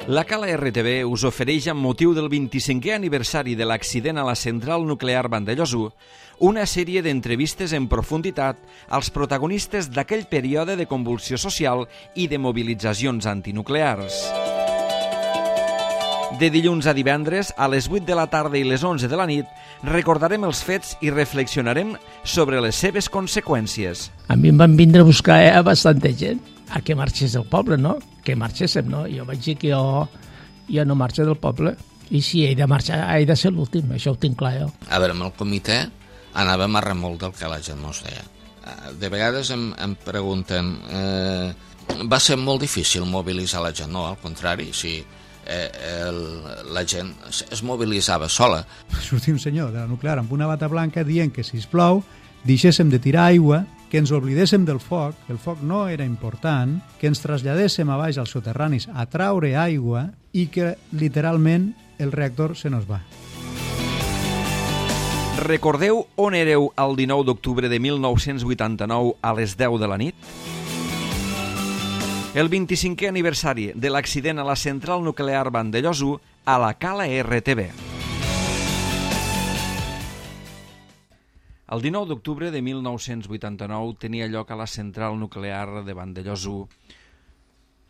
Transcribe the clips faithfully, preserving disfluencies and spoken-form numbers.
La Cala R T V us ofereix, amb motiu del vint-i-cinquè aniversari de l'accident a la central nuclear Vandellòs u, una sèrie d'entrevistes en profunditat als protagonistes d'aquell període de convulsió social i de mobilitzacions antinuclears. De dilluns a divendres, a les vuit de la tarda i les onze de la nit, recordarem els fets i reflexionarem sobre les seves conseqüències. A mi em van vindre a buscar eh, bastanta gent a que marxés del poble, no? Que marxéssim, no? Jo vaig dir que jo, jo no marxo del poble. I si he de marxar, he de ser l'últim, això ho tinc clar jo. A veure, amb el comitè anàvem a remolc del que la gent no deia. De vegades em, em pregunten, eh, va ser molt difícil mobilitzar la gent? No, al contrari, si eh, el, la gent es, es mobilitzava sola. Sortia un senyor de la nuclear amb una bata blanca dient que, sisplau, deixéssim de tirar aigua, que ens oblidéssim del foc, que el foc no era important, que ens traslladéssim a baix als soterranis a traure aigua i que, literalment, el reactor se nos va. Recordeu on éreu el dinou d'octubre de mil nou-cents vuitanta-nou a les deu de la nit? El vint-i-cinquè aniversari de l'accident a la central nuclear Vandellòs u a la Cala R T V. El dinou d'octubre de mil nou-cents vuitanta-nou tenia lloc a la central nuclear de Vandellòs u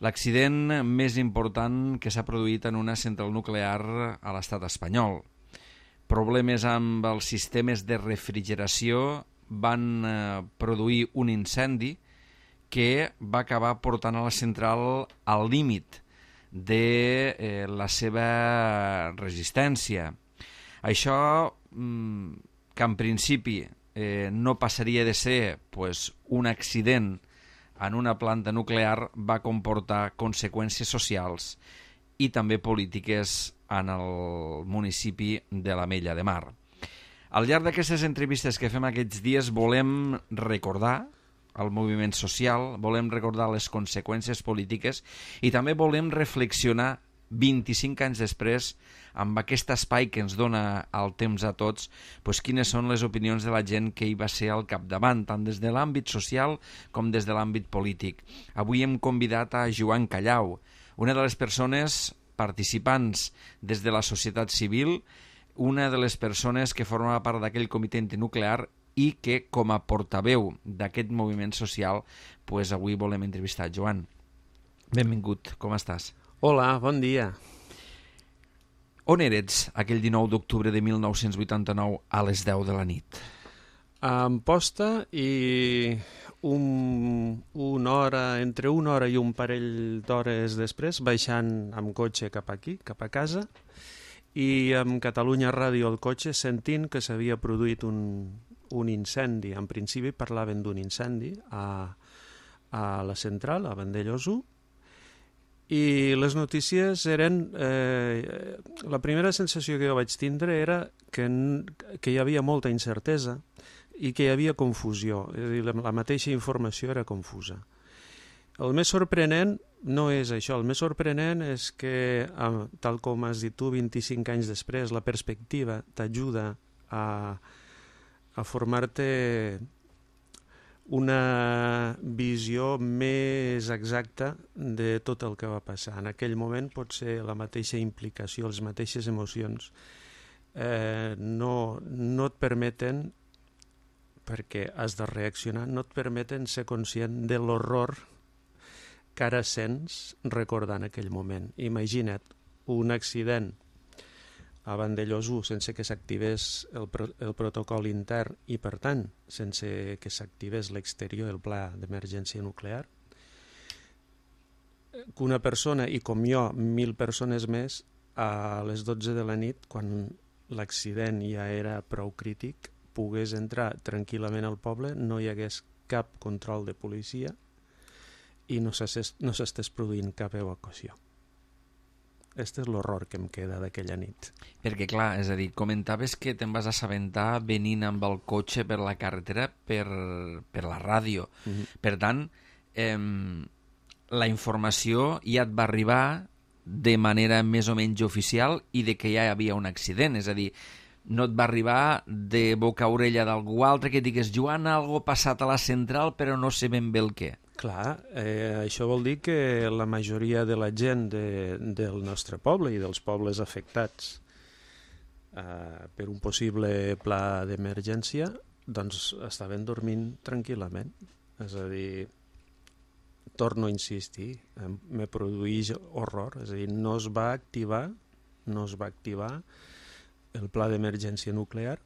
l'accident més important que s'ha produït en una central nuclear a l'estat espanyol. Problemes amb els sistemes de refrigeració van eh, produir un incendi que va acabar portant a la central al límit de eh, la seva resistència. Això mm, que en principi eh, no passaria de ser pues, un accident en una planta nuclear, va comportar conseqüències socials i també polítiques en el municipi de l'Ametlla de Mar. Al llarg d'aquestes entrevistes que fem aquests dies volem recordar el moviment social, volem recordar les conseqüències polítiques i també volem reflexionar vint-i-cinc anys després, amb aquest espai que ens dona el temps a tots, doncs quines són les opinions de la gent que hi va ser al capdavant, tant des de l'àmbit social com des de l'àmbit polític. Avui hem convidat a Joan Callau, una de les persones participants des de la societat civil, una de les persones que formava part d'aquell comitè antinuclear i que, com a portaveu d'aquest moviment social, doncs avui volem entrevistar. Joan, benvingut, com estàs? Hola, bon dia. On eres aquell dinou d'octubre de mil nou-cents vuitanta-nou a les deu de la nit? A Amposta i un, una hora, entre una hora i un parell d'hores després, baixant amb cotxe cap aquí, cap a casa, i amb Catalunya Ràdio al cotxe sentint que s'havia produït un, un incendi. En principi parlaven d'un incendi a, a la central, a Vandellòs u, i les notícies eren... Eh, la primera sensació que jo vaig tindre era que, que hi havia molta incertesa i que hi havia confusió. És a dir, la, la mateixa informació era confusa. El més sorprenent no és això. El més sorprenent és que, tal com has dit tu, vint-i-cinc anys després, la perspectiva t'ajuda a, a formar-te una visió més exacta de tot el que va passar. En aquell moment pot ser la mateixa implicació, les mateixes emocions eh, no, no et permeten, perquè has de reaccionar, no et permeten ser conscient de l'horror que ara sents recordant aquell moment. Imagina't un accident a Vandellòs u sense que s'activés el, pro el protocol intern i, per tant, sense que s'activés l'exterior, el pla d'emergència nuclear, que una persona, i com jo, mil persones més, a les dotze de la nit, quan l'accident ja era prou crític, pogués entrar tranquil·lament al poble, no hi hagués cap control de policia i no s'estés produint cap evacuació. Aquest és l'horror que em queda d'aquella nit. Perquè, clar, és a dir, comentaves que te'n vas assabentar venint amb el cotxe per la carretera per, per la ràdio. Mm-hmm. Per tant, eh, la informació ja et va arribar de manera més o menys oficial i de que ja hi havia un accident. És a dir, no et va arribar de boca a orella d'algú altre que digués Joan, algo passat a la central però no sé ben bé el què. Clar, eh, això vol dir que la majoria de la gent de, del nostre poble i dels pobles afectats eh, per un possible pla d'emergència doncs estaven dormint tranquil·lament. És a dir, torno a insistir, eh, me produeix horror, és a dir, no es va activar, no es va activar el pla d'emergència nuclear.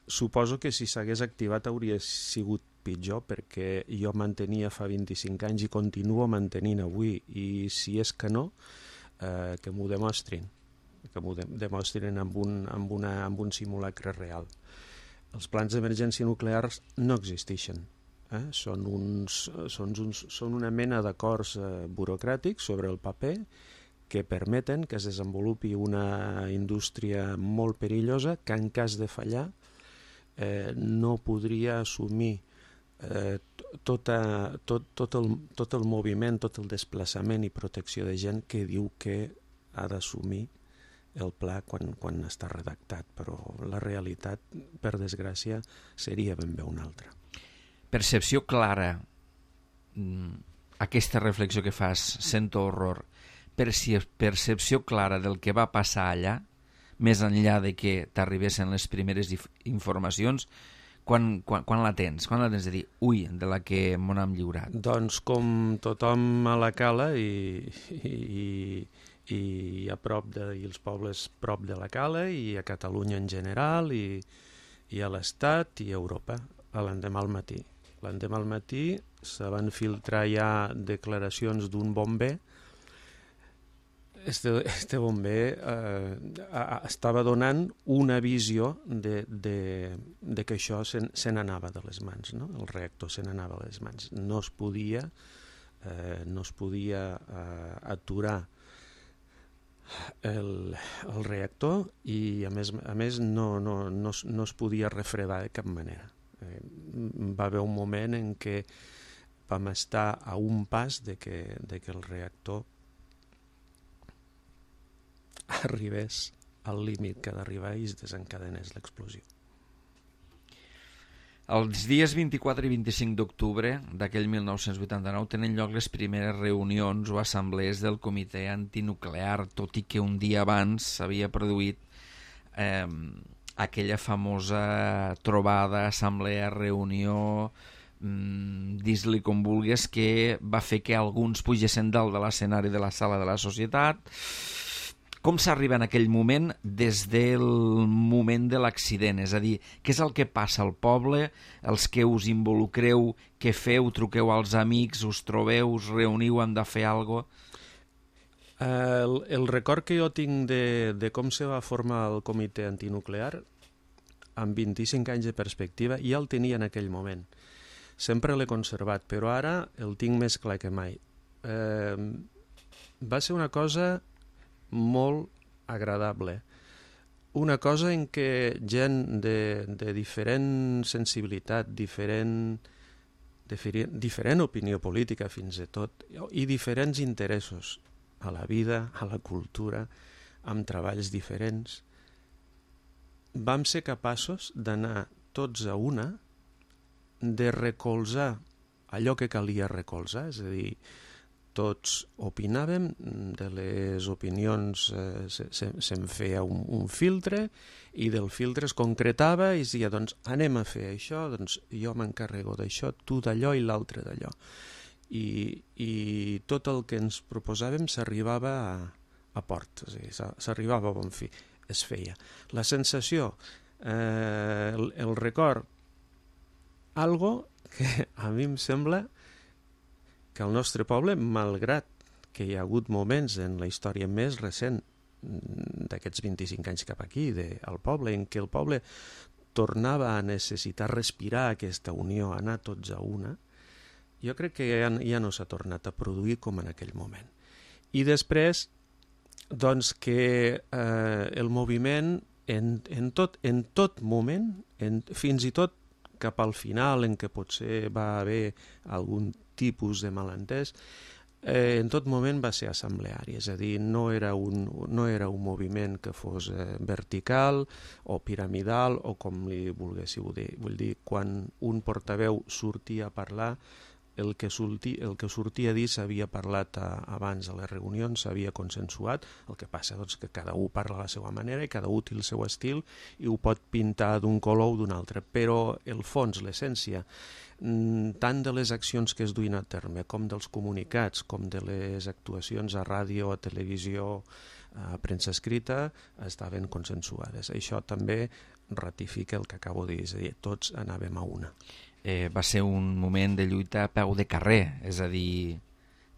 Suposo que si s'hagués activat hauria sigut pitjor, perquè jo mantenia fa vint-i-cinc anys i continuo mantenint avui, i si és que no, eh, que m'ho demostrin, que m'ho de demostrin amb un, amb, una, amb un simulacre real. Els plans d'emergència nuclears no existeixen. Eh? Són, uns, són, uns, són una mena d'acords eh, burocràtics sobre el paper que permeten que es desenvolupi una indústria molt perillosa que en cas de fallar eh, no podria assumir eh, tota, tot, tot, el, tot el moviment, tot el desplaçament i protecció de gent que diu que ha d'assumir el pla quan, quan està redactat, però la realitat, per desgràcia, seria ben bé una altra. Percepció clara, aquesta reflexió que fas, sento horror, percepció clara del que va passar allà, més enllà de que t'arribessin les primeres informacions, quan, quan, quan la tens? Quan la tens de dir, ui, de la que m'ho hem lliurat? Doncs com tothom a la cala i, i, i a prop de, i els pobles prop de la cala i a Catalunya en general i, i a l'Estat i a Europa, a l'endemà al matí. L'endemà al matí se van filtrar ja declaracions d'un bomber. Este, este bomber eh, estava donant una visió de, de, de que això se, se n'anava de les mans, no? El reactor se n'anava de les mans. No es podia, eh, no es podia eh, aturar el, el reactor i a més, a més no, no, no, no es podia refredar de cap manera. Eh, va haver un moment en què vam estar a un pas de que, de que el reactor arribés al límit que ha d'arribar i es desencadenés l'explosió. Els dies vint-i-quatre i vint-i-cinc d'octubre d'aquell mil nou-cents vuitanta-nou tenen lloc les primeres reunions o assemblees del Comitè Antinuclear, tot i que un dia abans s'havia produït eh, aquella famosa trobada, assemblea, reunió, mm, dis-li com vulguis, que va fer que alguns pugessin dalt de l'escenari de la sala de la societat. Com s'arriba en aquell moment des del moment de l'accident? És a dir, què és el que passa al poble? Els que us involucreu, què feu? Truqueu als amics, us trobeu, us reuniu, hem de fer alguna cosa? El, el record que jo tinc de, de com se va formar el comitè antinuclear, amb vint-i-cinc anys de perspectiva, ja el tenia en aquell moment. Sempre l'he conservat, però ara el tinc més clar que mai. Eh, va ser una cosa molt agradable. Una cosa en què gent de, de diferent sensibilitat, diferent, diferent, diferent opinió política fins i tot, i diferents interessos a la vida, a la cultura, amb treballs diferents, vam ser capaços d'anar tots a una, de recolzar allò que calia recolzar, és a dir, tots opinàvem, de les opinions eh, se'n se, se feia un, un filtre i del filtre es concretava i es deia, doncs anem a fer això, doncs jo m'encarrego d'això, tu d'allò i l'altre d'allò. I, I tot el que ens proposàvem s'arribava a, a port, és a dir, s'arribava a bon fi, es feia. La sensació, eh, el, el record, algo que a mi em sembla que el nostre poble, malgrat que hi ha hagut moments en la història més recent d'aquests vint-i-cinc anys cap aquí, de, al poble, en què el poble tornava a necessitar respirar aquesta unió, anar tots a una, jo crec que ja, ja no s'ha tornat a produir com en aquell moment. I després, doncs que eh, el moviment, en, en, tot, en tot moment, en, fins i tot cap al final, en què potser va haver algun tipus de malentès, eh, en tot moment va ser assembleari, és a dir, no era un, no era un moviment que fos eh, vertical o piramidal o com li volguéssiu dir. Vull dir, quan un portaveu sortia a parlar, el que, sortia, el que sortia a dir s'havia parlat a, abans a les reunions, s'havia consensuat, el que passa doncs, que cada un parla a la seva manera i cada un té el seu estil i ho pot pintar d'un color o d'un altre, però el fons, l'essència, tant de les accions que es duien a terme com dels comunicats, com de les actuacions a ràdio, a televisió, a premsa escrita, estaven consensuades. Això també ratifica el que acabo de dir, és a dir, tots anàvem a una. Eh, va ser un moment de lluita a peu de carrer, és a dir,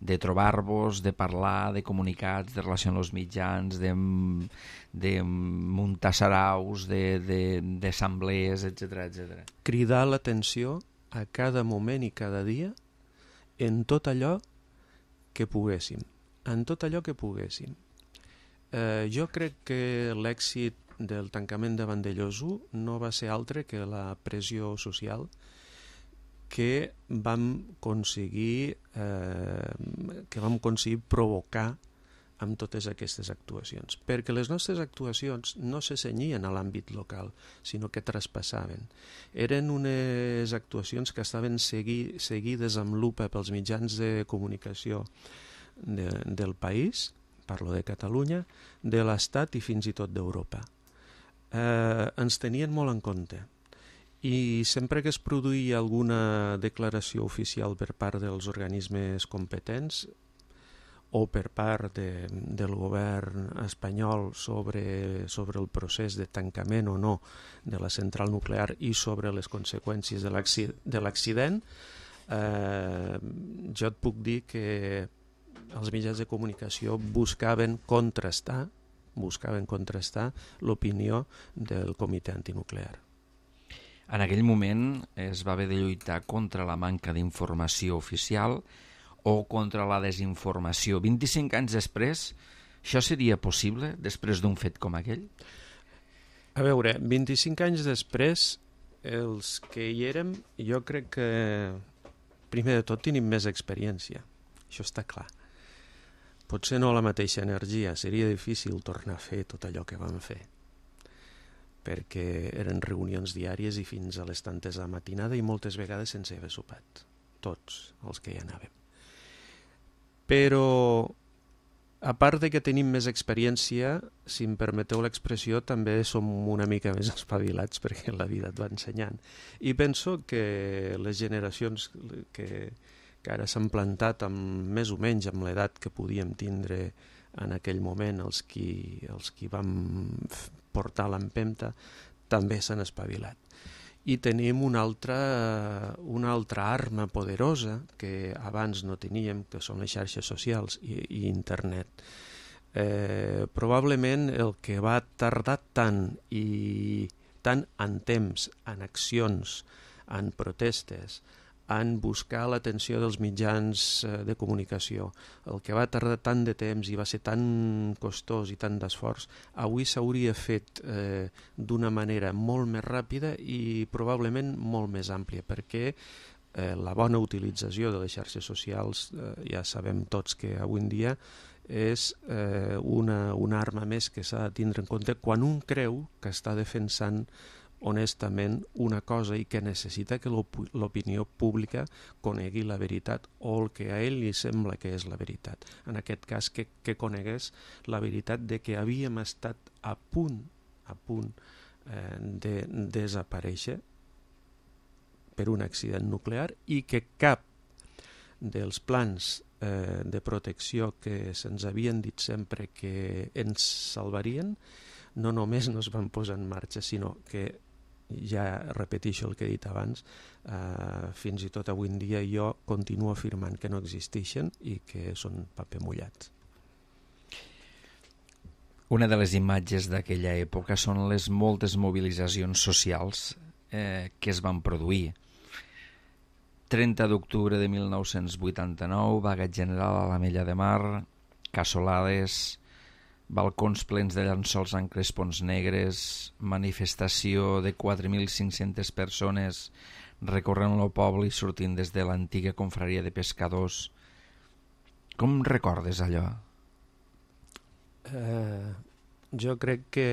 de trobar-vos, de parlar, de comunicats, de relació amb els mitjans, de, de muntar saraus, d'assemblees, etcètera, etcètera. Cridar l'atenció a cada moment i cada dia en tot allò que poguéssim, en tot allò que poguéssim. Eh, jo crec que l'èxit del tancament de Vandellòs u no va ser altre que la pressió social que vam aconseguir eh, que vam aconseguir provocar amb totes aquestes actuacions, perquè les nostres actuacions no se cenyien a l'àmbit local, sinó que traspassaven. Eren unes actuacions que estaven segui, seguides amb lupa pels mitjans de comunicació de, del país, parlo de Catalunya, de l'Estat i fins i tot d'Europa. Eh, ens tenien molt en compte. I sempre que es produïa alguna declaració oficial per part dels organismes competents o per part de, del govern espanyol sobre, sobre el procés de tancament o no de la central nuclear i sobre les conseqüències de l'accident, eh, jo et puc dir que els mitjans de comunicació buscaven contrastar, buscaven contrastar l'opinió del comitè antinuclear. En aquell moment es va haver de lluitar contra la manca d'informació oficial o contra la desinformació. vint-i-cinc anys després, això seria possible després d'un fet com aquell? A veure, vint-i-cinc anys després, els que hi érem, jo crec que primer de tot tenim més experiència, això està clar. Potser no la mateixa energia, seria difícil tornar a fer tot allò que vam fer, perquè eren reunions diàries i fins a les tantes a matinada i moltes vegades sense haver sopat, tots els que hi anàvem. Però, a part de que tenim més experiència, si em permeteu l'expressió, també som una mica més espavilats perquè la vida et va ensenyant. I penso que les generacions que, que ara s'han plantat amb, més o menys amb l'edat que podíem tindre en aquell moment, els qui, els qui vam portar l'empenta, també s'han espavilat. I tenim una altra, una altra arma poderosa que abans no teníem, que són les xarxes socials i, i internet. Eh, probablement el que va tardar tant i tant en temps, en accions, en protestes, en buscar l'atenció dels mitjans de comunicació, el que va tardar tant de temps i va ser tan costós i tant d'esforç, avui s'hauria fet eh, d'una manera molt més ràpida i probablement molt més àmplia, perquè eh, la bona utilització de les xarxes socials, eh, ja sabem tots que avui en dia és eh, una, una arma més que s'ha de tindre en compte quan un creu que està defensant honestament una cosa i que necessita que l'opinió pública conegui la veritat o el que a ell li sembla que és la veritat. En aquest cas, que, que conegués la veritat de que havíem estat a punt, a punt eh, de desaparèixer per un accident nuclear i que cap dels plans eh, de protecció que se'ns havien dit sempre que ens salvarien no només no es van posar en marxa, sinó que ja repeteixo el que he dit abans, eh, fins i tot avui en dia jo continuo afirmant que no existeixen i que són paper mullat. Una de les imatges d'aquella època són les moltes mobilitzacions socials eh, que es van produir. trenta d'octubre de mil nou-cents vuitanta-nou, vaga general a l'Ametlla de Mar, cassolades, balcons plens de llençols amb crespons negres, manifestació de quatre mil cinc-centes persones recorrent el poble i sortint des de l'antiga confraria de pescadors. Com recordes allò? Eh, jo crec que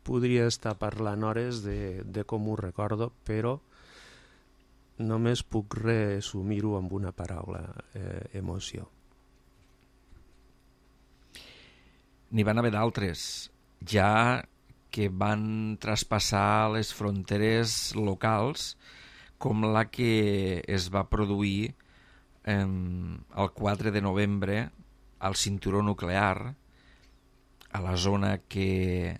podria estar parlant hores de, de com ho recordo, però només puc resumir-ho amb una paraula, eh, emoció. N'hi van haver d'altres, ja que van traspassar les fronteres locals, com la que es va produir eh, el quatre de novembre al cinturó nuclear, a la zona que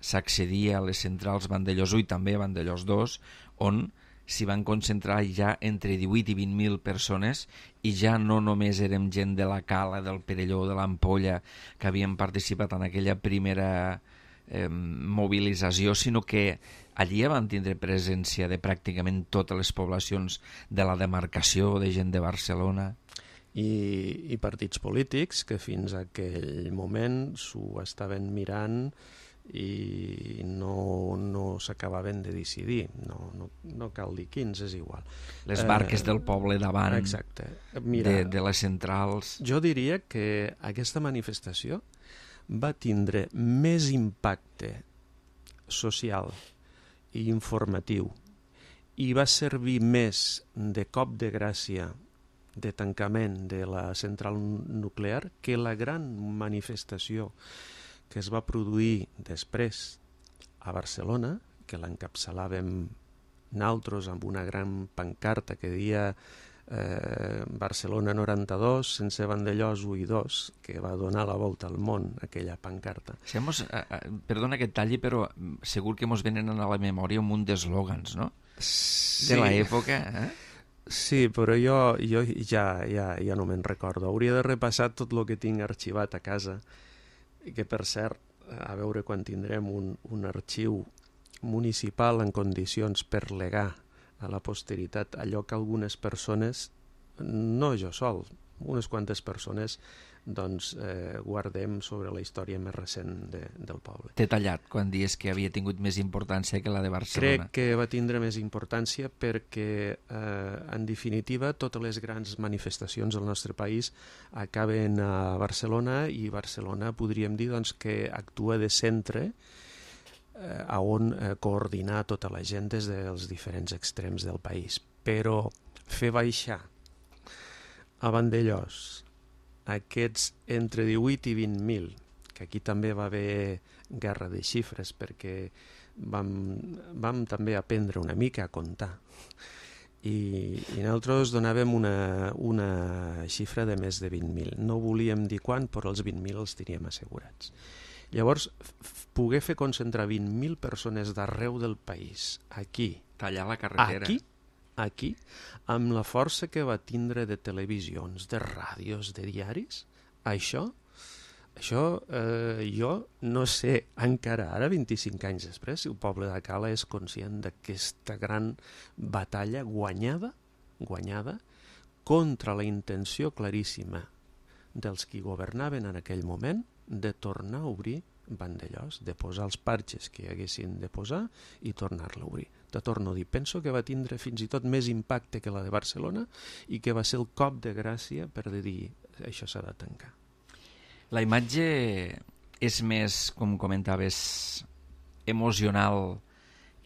s'accedia a les centrals Vandellòs u i també a Vandellòs dos, on s'hi van concentrar ja entre divuit i vint mil persones, i ja no només érem gent de la Cala, del Perelló, de l'Ampolla, que havien participat en aquella primera eh, mobilització, sinó que allí van tindre presència de pràcticament totes les poblacions de la demarcació, de gent de Barcelona. I, i partits polítics que fins a aquell moment s'ho estaven mirant i no, no s'acabaven de decidir, no, no, no cal dir quins, és igual. Les barques eh, del poble davant. Exacte. Mira, de, de les centrals. Jo diria que aquesta manifestació va tindre més impacte social i informatiu i va servir més de cop de gràcia, de tancament de la central nuclear, que la gran manifestació que es va produir després a Barcelona, que l'encapçalàvem naltros amb una gran pancarta que deia eh, Barcelona noranta-dos, sense Vandellòs u i dos, que va donar la volta al món, aquella pancarta. Si hemos, eh, perdona que et talli, però segur que mos venen a la memòria un munt d'eslògans, no? Sí. De l'època, eh? Sí, però jo, jo ja, ja, ja no me'n recordo. Hauria de repassar tot el que tinc arxivat a casa, que per cert, a veure quan tindrem un, un arxiu municipal en condicions per legar a la posteritat allò que algunes persones, no jo sol, unes quantes persones, doncs eh, guardem sobre la història més recent de, del poble. T'he tallat quan dius que havia tingut més importància que la de Barcelona. Crec que va tindre més importància perquè, eh, en definitiva, totes les grans manifestacions del nostre país acaben a Barcelona, i Barcelona podríem dir doncs, que actua de centre eh, a on eh, coordinar tota la gent des dels diferents extrems del país. Però fer baixar a Vandellòs aquests entre divuit i vint mil, que aquí també va haver guerra de xifres perquè vam, vam també aprendre una mica a comptar, i, i nosaltres donàvem una, una xifra de més de vint mil. No volíem dir quan, però els vint mil els teníem assegurats. Llavors, poder fer concentrar vint mil persones d'arreu del país, aquí, tallar la carretera. Aquí, aquí, amb la força que va tindre de televisions, de ràdios, de diaris, això, això eh, jo no sé encara ara, vint-i-cinc anys després, si el poble de Cala és conscient d'aquesta gran batalla guanyada, guanyada contra la intenció claríssima dels qui governaven en aquell moment de tornar a obrir Vandellòs, de posar els parxes que hi haguessin de posar i tornar-la a obrir. Te torno a dir, penso que va tindre fins i tot més impacte que la de Barcelona i que va ser el cop de gràcia per dir això s'ha de tancar. La imatge és més, com comentaves, emocional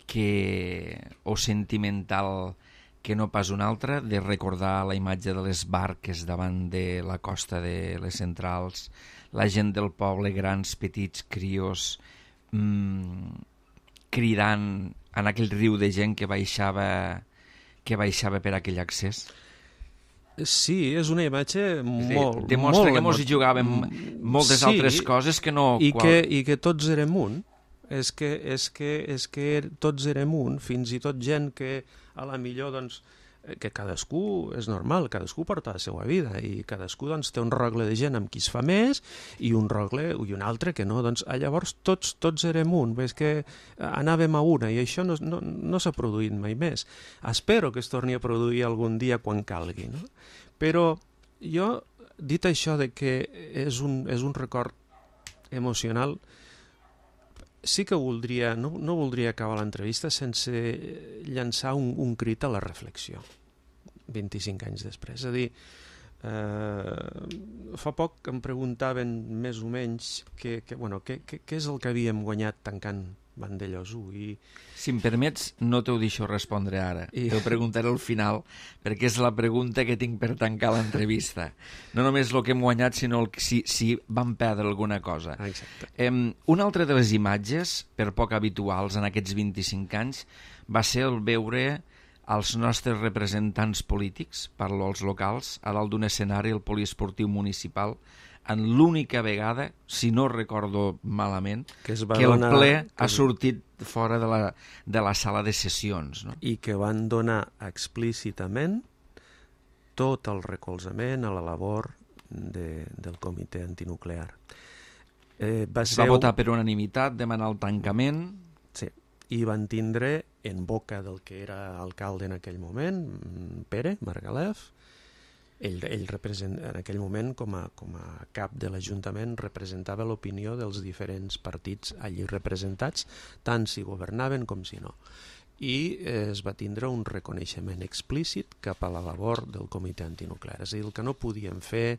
que, o sentimental que no pas una altra, de recordar la imatge de les barques davant de la costa de les centrals, la gent del poble, grans, petits, crios, mmm, cridant en aquell riu de gent que baixava, que baixava per aquell accés. Sí, és una imatge molt... Demostra molt que mos hi jugàvem moltes sí, altres coses que no... I, qual... que, i que tots érem un. És que, és, que, és que tots érem un, fins i tot gent que a la millor, doncs, que cadascú, és normal, cadascú porta la seva vida i cadascú doncs, té un rogle de gent amb qui es fa més i un rogle i un altre que no. Doncs, llavors tots, tots érem un, és que anàvem a una i això no, no, no s'ha produït mai més. Espero que es torni a produir algun dia quan calgui, no? Però jo, dit això de que és un, és un record emocional, sí que voldria, no, no voldria acabar l'entrevista sense llançar un, un crit a la reflexió, vint-i-cinc anys després. És a dir, eh, fa poc em preguntaven més o menys què que, que, bueno, que, que, que és el que havíem guanyat tancant Vandellòs u. I... Si em permets, no t'ho deixo respondre ara. I... T'ho preguntaré al final, perquè és la pregunta que tinc per tancar l'entrevista. No només el que hem guanyat, sinó el, si, si vam perdre alguna cosa. Exacte. Eh, una altra de les imatges, per poc habituals en aquests vint-i-cinc anys, va ser el veure els nostres representants polítics, parlo als locals, a dalt d'un escenari, el poliesportiu municipal, en l'única vegada, si no recordo malament, que, es que el donar, ple que... ha sortit fora de la, de la sala de sessions. No? I que van donar explícitament tot el recolzament a la labor de, del comitè antinuclear. Eh, va es ser va votar per unanimitat, demanar el tancament... Sí, i van tindre en boca del que era alcalde en aquell moment, Pere Margalef. Ell, ell represent, en aquell moment, com a, com a cap de l'Ajuntament, representava l'opinió dels diferents partits allí representats, tant si governaven com si no. I eh, es va tindre un reconeixement explícit cap a la labor del comitè antinuclear. És a dir, el que no podien fer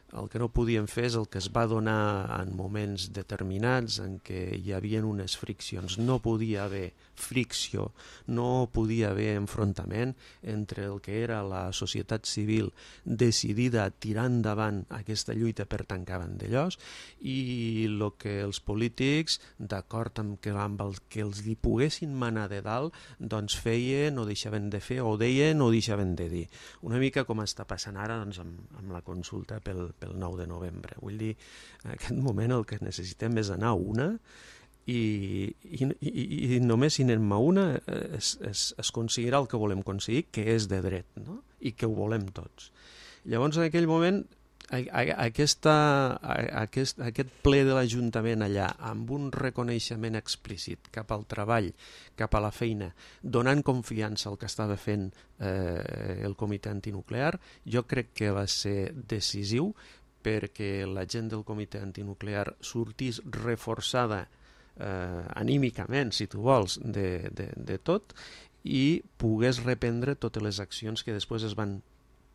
El que no podien fer és el que es va donar en moments determinats en què hi havia unes friccions. No podia haver fricció, no podia haver enfrontament entre el que era la societat civil decidida a tirar endavant aquesta lluita per tancar Vandellòs i el que els polítics, d'acord amb que, amb el que els li poguessin manar de dalt, doncs feien o deixaven de fer, o deien o deixaven de dir. Una mica com està passant ara doncs, amb, amb la consulta pel pel nou de novembre. Vull dir, en aquest moment el que necessitem és anar a una i, i, i, i només si anem a una es, es, es aconseguirà el que volem aconseguir, que és de dret, no? I que ho volem tots. Llavors, en aquell moment, a, a, aquesta, a, aquest, aquest ple de l'Ajuntament allà, amb un reconeixement explícit cap al treball, cap a la feina, donant confiança al que estava fent eh, el comitè antinuclear, jo crec que va ser decisiu perquè la gent del comitè antinuclear sortís reforçada eh, anímicament, si tu vols, de, de, de tot i pogués reprendre totes les accions que després es van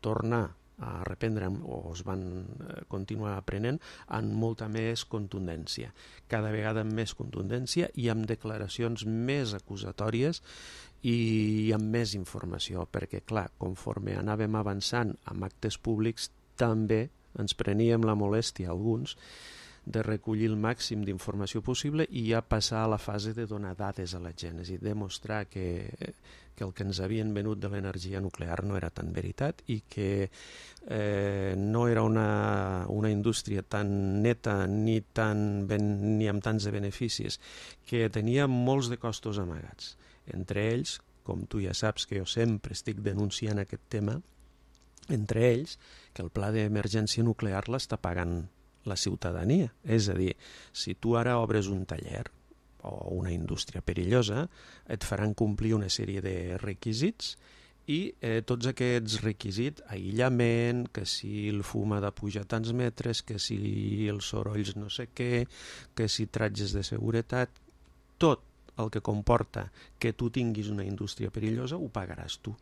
tornar a reprendre o es van continuar aprenent amb molta més contundència, cada vegada amb més contundència i amb declaracions més acusatòries i amb més informació, perquè clar, conforme anàvem avançant amb actes públics també ens preníem la molèstia alguns de recollir el màxim d'informació possible i ja passar a la fase de donar dades a la gent, és a dir, demostrar que, que el que ens havien venut de l'energia nuclear no era tan veritat i que eh, no era una, una indústria tan neta ni, tan ben, ni amb tants de beneficis, que tenia molts de costos amagats. Entre ells, com tu ja saps que jo sempre estic denunciant aquest tema, entre ells que el pla d'emergència nuclear l'està pagant la ciutadania. És a dir, si tu ara obres un taller o una indústria perillosa, et faran complir una sèrie de requisits i eh, tots aquests requisits, aïllament, que si el fum ha de pujar tants metres, que si els sorolls no sé què, que si tratges de seguretat, tot el que comporta que tu tinguis una indústria perillosa ho pagaràs tu,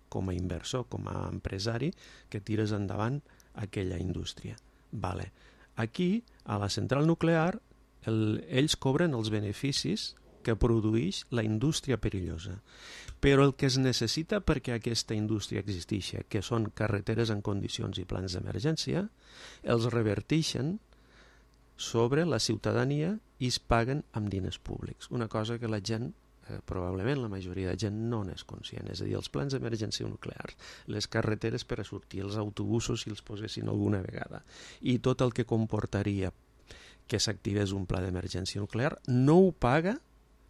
com a inversor, com a empresari, que tires endavant aquella indústria. Vale. Aquí, a la central nuclear, el, ells cobren els beneficis que produeix la indústria perillosa. Però el que es necessita perquè aquesta indústria existeixi, que són carreteres en condicions i plans d'emergència, els reverteixen sobre la ciutadania i es paguen amb diners públics. Una cosa que la gent, eh, probablement la majoria de gent no n'és conscient. És a dir, els plans d'emergència nuclears, les carreteres per a sortir, els autobusos si els posessin alguna vegada, i tot el que comportaria que s'activés un pla d'emergència nuclear, no ho paga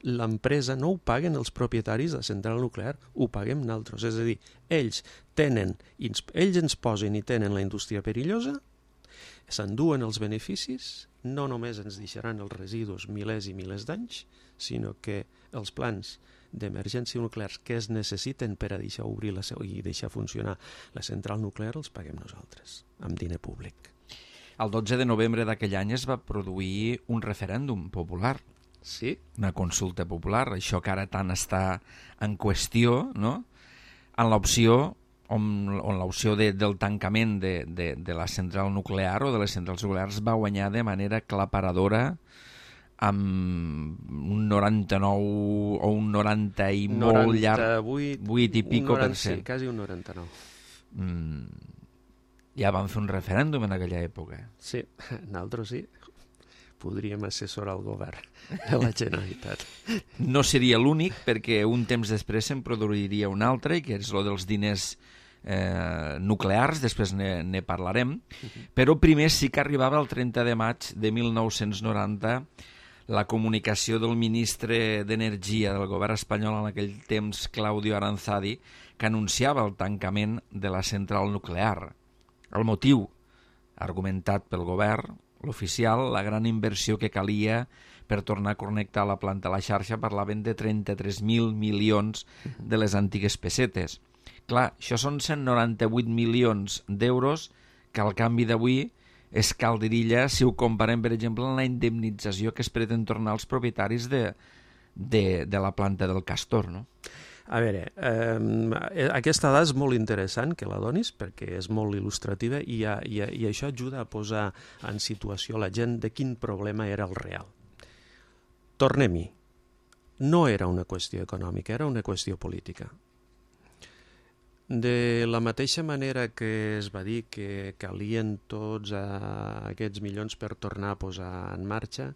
l'empresa, no ho paguen els propietaris de la central nuclear, ho paguem nosaltres. És a dir, ells tenen, ells ens posen i tenen la indústria perillosa, s'enduen els beneficis, no només ens deixaran els residus milers i milers d'anys, sinó que els plans d'emergència nuclears que es necessiten per a deixar obrir la seu i deixar funcionar la central nuclear els paguem nosaltres, amb diner públic. El dotze de novembre d'aquell any es va produir un referèndum popular. Sí. Una consulta popular, això que ara tant està en qüestió, no? En l'opció on, on l'opció de, del tancament de, de, de la central nuclear o de les centrals nuclears va guanyar de manera aclaparadora amb un noranta-nou o un noranta i molt llarg, vuit i pico per cent. Sí, quasi un noranta-nou. Mm, ja van fer un referèndum en aquella època. Sí, nosaltres sí. Podríem assessorar el govern de la Generalitat. No seria l'únic, perquè un temps després se'n produiria un altre, que és el dels diners eh, nuclears, després ne, ne parlarem, uh-huh. Però primer sí que arribava el trenta de maig de mil nou-cents noranta la comunicació del ministre d'Energia del govern espanyol en aquell temps, Claudio Aranzadi, que anunciava el tancament de la central nuclear. El motiu, argumentat pel govern, l'oficial, la gran inversió que calia per tornar a connectar la planta a la xarxa, parlaven de trenta-tres mil milions de les antigues pessetes. Clar, això són cent noranta-vuit milions d'euros que al canvi d'avui és calderilla si ho comparem, per exemple, amb la indemnització que es pretén tornar als propietaris de, de, de la planta del Castor, no? A veure, eh, aquesta dada és molt interessant que la donis perquè és molt il·lustrativa i, a, i, a, i això ajuda a posar en situació la gent de quin problema era el real. Tornem-hi. No era una qüestió econòmica, era una qüestió política. De la mateixa manera que es va dir que calien tots aquests milions per tornar a posar en marxa,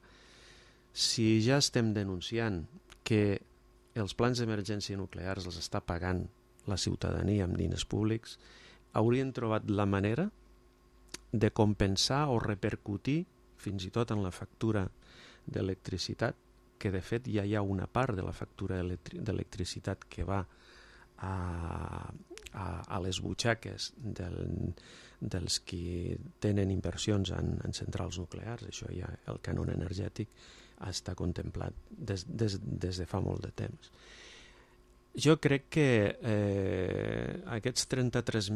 si ja estem denunciant que els plans d'emergència nuclears els està pagant la ciutadania amb diners públics, haurien trobat la manera de compensar o repercutir fins i tot en la factura d'electricitat, que de fet ja hi ha una part de la factura d'electricitat que va a, a, a les butxaques del, dels qui tenen inversions en, en centrals nuclears. Això ja, el cànon energètic està contemplat des, des, des de fa molt de temps. Jo crec que eh, aquests trenta-tres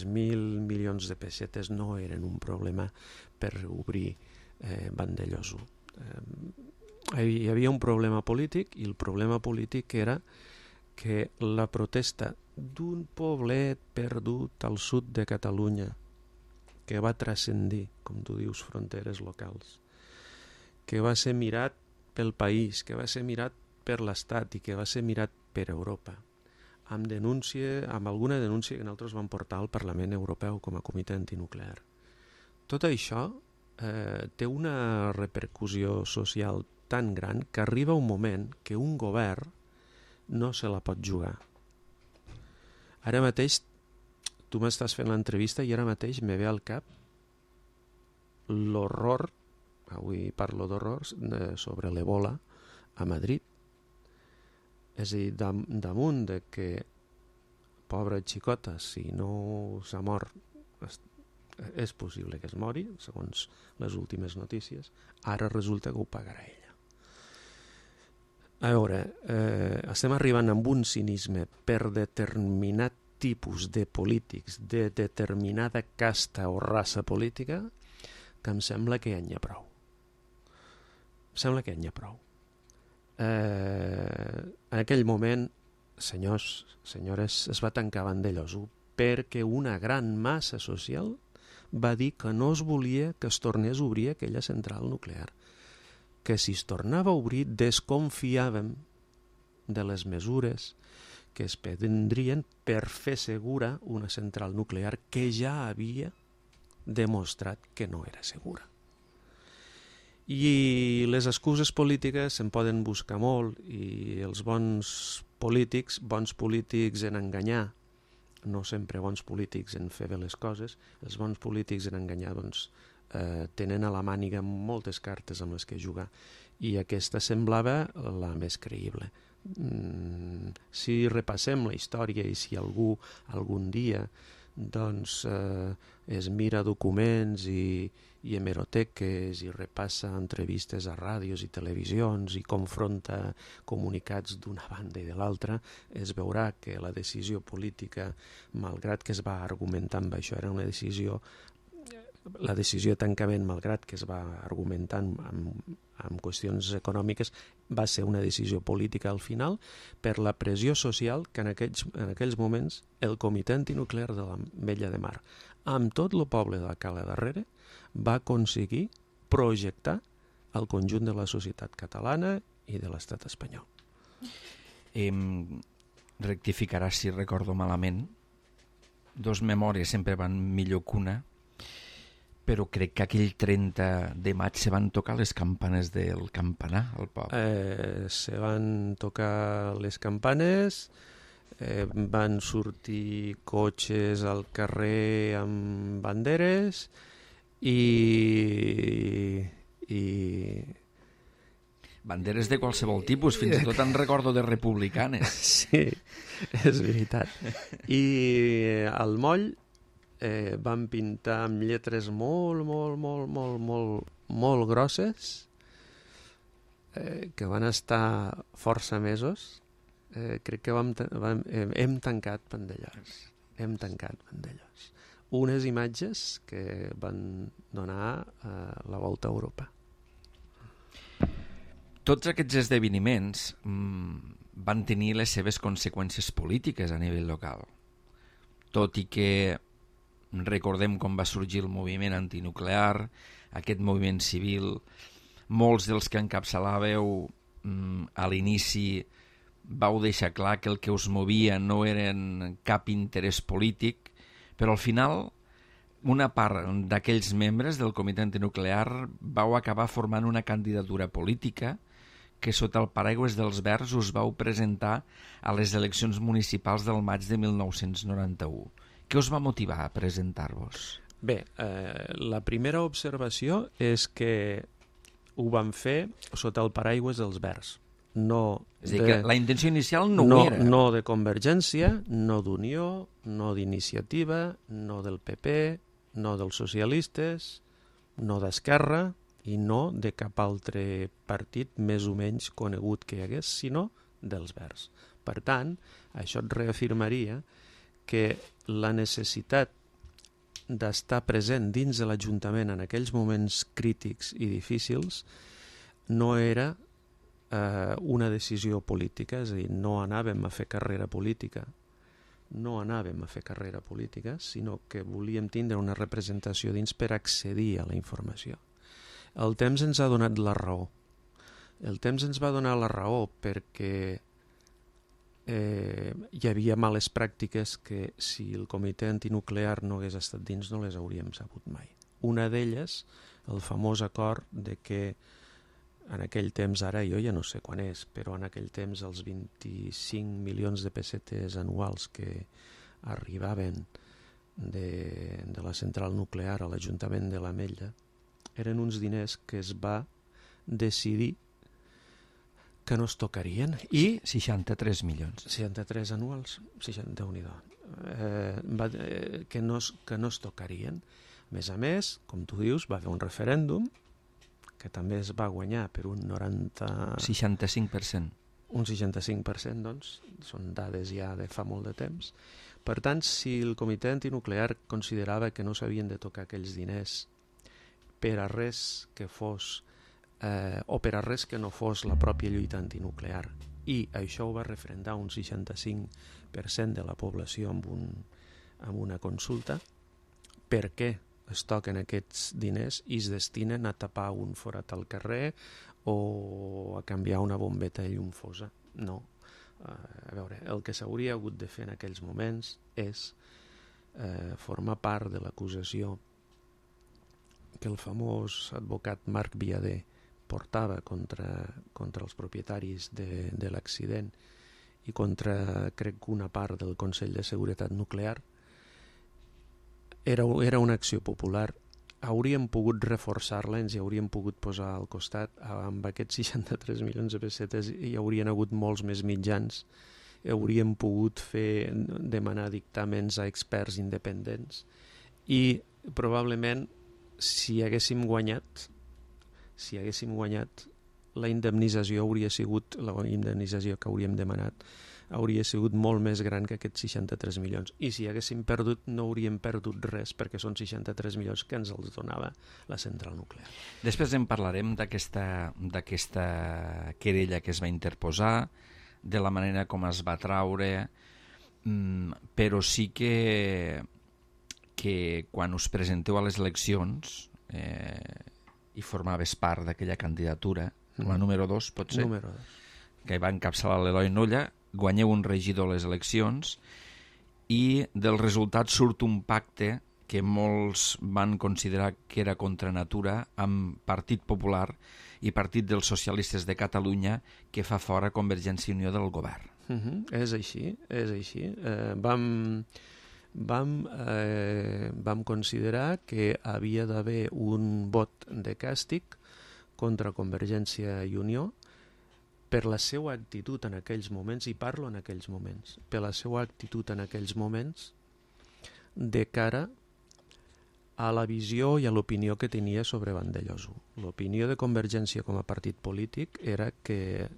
mil milions de pessetes no eren un problema per obrir eh, Vandellòs u. Eh, hi havia un problema polític i el problema polític era que la protesta d'un poblet perdut al sud de Catalunya que va transcendir, com tu dius, fronteres locals, que va ser mirat pel país, que va ser mirat per l'Estat i que va ser mirat per Europa, amb denúncia, amb alguna denúncia que nosaltres vam portar al Parlament Europeu com a comitè antinuclear. Tot això eh, té una repercussió social tan gran que arriba un moment que un govern no se la pot jugar. Ara mateix, tu m'estàs fent l'entrevista i ara mateix me ve al cap l'horror, avui parlo d'horrors, sobre l'Ebola a Madrid. És a dir, dam, damunt de que, pobra xicota, si no s'ha mort, és, és possible que es mori, segons les últimes notícies, ara resulta que ho pagarà ella. A veure, eh, estem arribant amb un cinisme per determinat tipus de polítics, de determinada casta o raça política, que em sembla que ja n'hi ha prou. Em sembla que ja n'hi ha prou. Eh, en aquell moment, senyors, senyores, es va tancar Vandellòs u perquè una gran massa social va dir que no es volia que es tornés a obrir aquella central nuclear, que si es tornava a obrir desconfiàvem de les mesures que es prendrien per fer segura una central nuclear que ja havia demostrat que no era segura. I les excuses polítiques se'n poden buscar molt i els bons polítics, bons polítics en enganyar, no sempre bons polítics en fer bé les coses, els bons polítics en enganyar doncs, eh, tenen a la màniga moltes cartes amb les que jugar i aquesta semblava la més creïble. Mm, si repassem la història i si algú algun dia doncs eh, es mira documents i, i hemeroteques i repassa entrevistes a ràdios i televisions i confronta comunicats d'una banda i de l'altra, es veurà que la decisió política, malgrat que es va argumentar amb això, era una decisió, la decisió de tancament, malgrat que es va argumentar amb, amb qüestions econòmiques, va ser una decisió política al final per la pressió social que en aquells, en aquells moments el Comitè Antinuclear de la Vella de Mar, amb tot el poble de la Cala darrere, va aconseguir projectar al conjunt de la societat catalana i de l'estat espanyol. Em rectificarà si recordo malament. Dos memòries sempre van millor que una, però crec que aquell trenta de maig se van tocar les campanes del campanar al poble. Eh, se van tocar les campanes, eh, van sortir cotxes al carrer amb banderes i... i banderes de qualsevol tipus, fins i tot en recordo de republicanes. Sí, és veritat. I al moll eh, van pintar amb lletres molt, molt, molt, molt, molt, molt grosses, eh, que van estar força mesos. Eh, crec que vam, vam, eh, hem tancat Vandellòs. Hem tancat Vandellòs. Unes imatges que van donar eh, la volta a Europa. Tots aquests esdeveniments mmm, van tenir les seves conseqüències polítiques a nivell local. Tot i que recordem com va sorgir el moviment antinuclear, aquest moviment civil, molts dels que encapçalàveu mmm, a l'inici vau deixar clar que el que us movia no eren cap interès polític, però al final una part d'aquells membres del comitè antinuclear vau acabar formant una candidatura política que sota el paraigües dels Verds us vau presentar a les eleccions municipals del maig de mil nou-cents noranta-u. Què us va motivar a presentar-vos? Bé, eh, la primera observació és que ho van fer sota el paraigües dels Verds. No és a dir, de, que la intenció inicial no, no ho era. No de Convergència, no d'Unió, no d'Iniciativa, no del P P, no dels socialistes, no d'Esquerra i no de cap altre partit més o menys conegut que hi hagués, sinó dels Verds. Per tant, això et reafirmaria que la necessitat d'estar present dins de l'Ajuntament en aquells moments crítics i difícils no era eh, una decisió política, és a dir, no anàvem a fer carrera política, no anàvem a fer carrera política, sinó que volíem tindre una representació dins per accedir a la informació. El temps ens ha donat la raó. El temps ens va donar la raó perquè eh, hi havia males pràctiques que si el comitè antinuclear no hagués estat dins no les hauríem sabut mai. Una d'elles, el famós acord de que en aquell temps, ara jo ja no sé quan és, però en aquell temps els vint-i-cinc milions de pessetes anuals que arribaven de, de la central nuclear a l'Ajuntament de l'Ametlla eren uns diners que es va decidir que no es tocarien i... seixanta-tres milions. seixanta-tres anuals, seixanta, Déu-n'hi-do, eh, va, eh, que, no es, que no es tocarien. A més a més, com tu dius, va haver un referèndum que també es va guanyar per un noranta... seixanta-cinc per cent. Un seixanta-cinc per cent, doncs, són dades ja de fa molt de temps. Per tant, si el comitè antinuclear considerava que no s'havien de tocar aquells diners per a res que fos, eh, o per a res que no fos la pròpia lluita antinuclear, i això ho va referendar un seixanta-cinc per cent de la població amb, un, amb una consulta, per què es toquen aquests diners i es destinen a tapar un forat al carrer o a canviar una bombeta de llum fosa? No. Uh, a veure, el que s'hauria hagut de fer en aquells moments és uh, formar part de l'acusació que el famós advocat Marc Viader portava contra, contra els propietaris de, de l'accident i contra, crec, una part del Consell de Seguretat Nuclear. Era, era una acció popular. Hauríem pogut reforçar-la, ens hi hauríem pogut posar al costat. Amb aquests seixanta-tres milions de pessetes hi haurien hagut molts més mitjans. Hauríem pogut fer, demanar dictàmens a experts independents i probablement si haguéssim guanyat, si haguéssim guanyat, la indemnització hauria sigut, la indemnització que hauríem demanat, hauria sigut molt més gran que aquests seixanta-tres milions. I si haguéssim perdut, no hauríem perdut res, perquè són seixanta-tres milions que ens els donava la central nuclear. Després en parlarem d'aquesta d'aquesta querella que es va interposar, de la manera com es va traure, però sí que que quan us presenteu a les eleccions eh, i formaves part d'aquella candidatura, com a número dos, pot ser, Número dos. que va encapçalar l'Eloi Nolla, guanyeu un regidor a les eleccions i del resultat surt un pacte que molts van considerar que era contra natura amb Partit Popular i Partit dels Socialistes de Catalunya, que fa fora Convergència i Unió del govern. Uh -huh. És així, és així. Eh, vam, vam, eh, vam considerar que havia d'haver un vot de càstig contra Convergència i Unió per la seva actitud en aquells moments, i parlo en aquells moments, per la seva actitud en aquells moments de cara a la visió i a l'opinió que tenia sobre Vandellòs. L'opinió de Convergència com a partit polític era que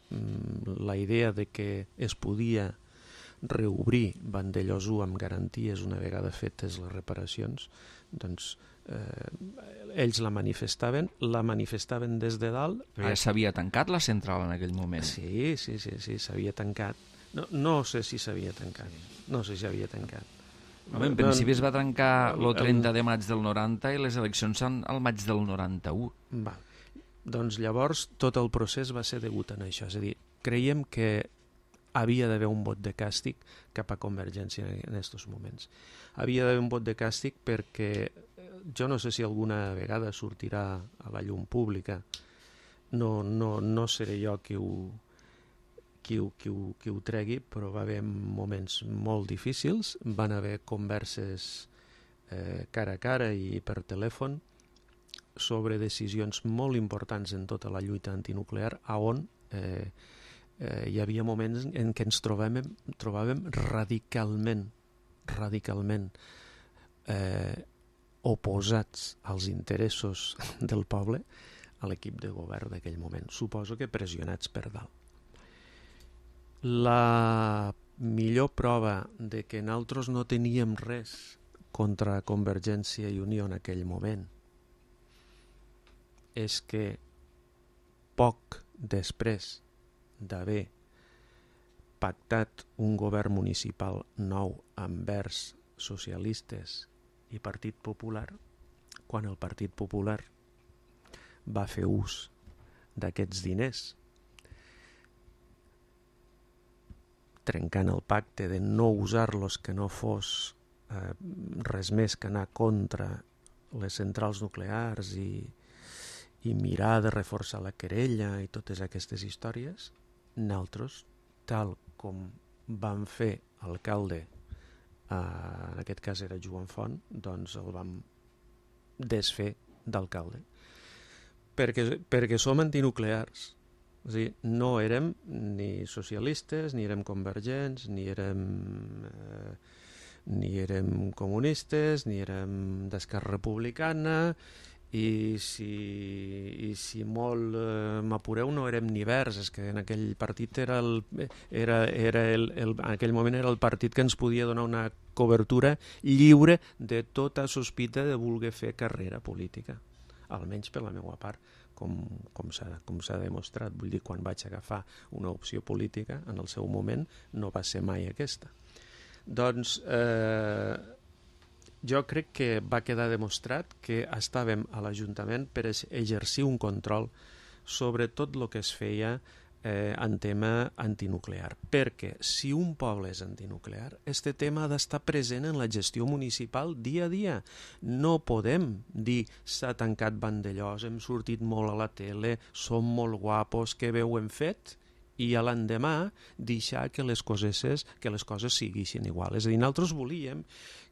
mm, la idea de que es podia reobrir Vandellòs amb garanties una vegada fetes les reparacions, doncs eh, ells la manifestaven, la manifestaven des de dalt. Però ja s'havia tancat la central en aquell moment. Sí, sí, sí, sí, s'havia tancat. No, no sé si s'havia tancat, no sé si s'havia tancat. Home, en principi es va trencar el trenta de maig del noranta i les eleccions són al maig del noranta-u. Va. Doncs llavors tot el procés va ser degut a això. És a dir, creiem que havia d'haver un vot de càstig cap a Convergència en aquests moments. Havia d'haver un vot de càstig perquè jo no sé si alguna vegada sortirà a la llum pública. No, no, no seré jo qui ho, qui ho, qui ho, qui ho tregui, però va haver moments molt difícils, van haver converses eh, cara a cara i per telèfon sobre decisions molt importants en tota la lluita antinuclear, a on eh, eh, hi havia moments en què ens trobàvem, trobàvem radicalment, radicalment eh, oposats als interessos del poble a l'equip de govern d'aquell moment. Suposo que pressionats per dalt. La millor prova de que nosaltres no teníem res contra Convergència i Unió en aquell moment és que poc després d'haver pactat un govern municipal nou envers socialistes i Partit Popular, quan el Partit Popular va fer ús d'aquests diners trencant el pacte de no usar-los, que no fos eh, res més que anar contra les centrals nuclears i, i mirar de reforçar la querella i totes aquestes històries, nosaltres, tal com van fer alcalde, eh, en aquest cas era Joan Font, doncs el vam desfer d'alcalde. Perquè, perquè som antinuclears. És a dir, no érem ni socialistes, ni érem convergents, ni érem, eh, ni érem comunistes, ni érem d'Esquerra Republicana, i si, i si molt eh, m'apureu no érem ni verds, és que en aquell partit era el, era, era el, el, en aquell moment era el partit que ens podia donar una cobertura lliure de tota sospita de voler fer carrera política, almenys per la meva part, com, com s'ha com s'ha demostrat. Vull dir, quan vaig agafar una opció política en el seu moment no va ser mai aquesta. Doncs eh, jo crec que va quedar demostrat que estàvem a l'Ajuntament per exercir un control sobre tot el que es feia eh, en tema antinuclear. Perquè si un poble és antinuclear, este tema ha d'estar present en la gestió municipal dia a dia. No podem dir s'ha tancat Vandellòs, hem sortit molt a la tele, som molt guapos, que bé ho hem fet, i a l'endemà deixar que les coses, que les coses siguin igual. És a dir, nosaltres volíem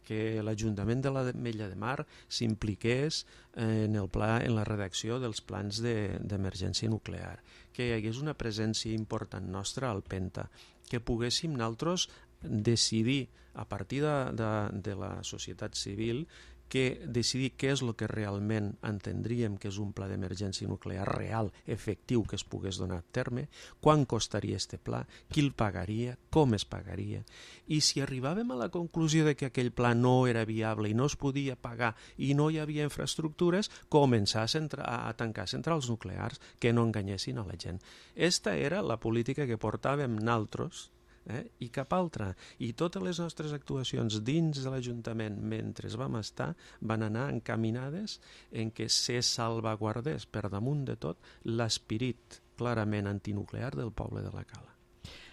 que l'Ajuntament de l'Ametlla de Mar s'impliqués en el pla, en la redacció dels plans d'emergència de, nuclear, que hi hagués una presència important nostra al Penta, que poguéssim nosaltres decidir a partir de, de, de la societat civil, que decidir què és el que realment entendríem que és un pla d'emergència nuclear real, efectiu, que es pogués donar a terme, quan costaria este pla, qui el pagaria, com es pagaria, i si arribàvem a la conclusió de que aquell pla no era viable i no es podia pagar i no hi havia infraestructures, començar a, centra, a tancar centrals nuclears que no enganyessin a la gent. Esta era la política que portàvem nosaltres eh? I cap altra. I totes les nostres actuacions dins de l'Ajuntament mentre vam estar van anar encaminades en que se salvaguardés per damunt de tot l'esperit clarament antinuclear del poble de la Cala.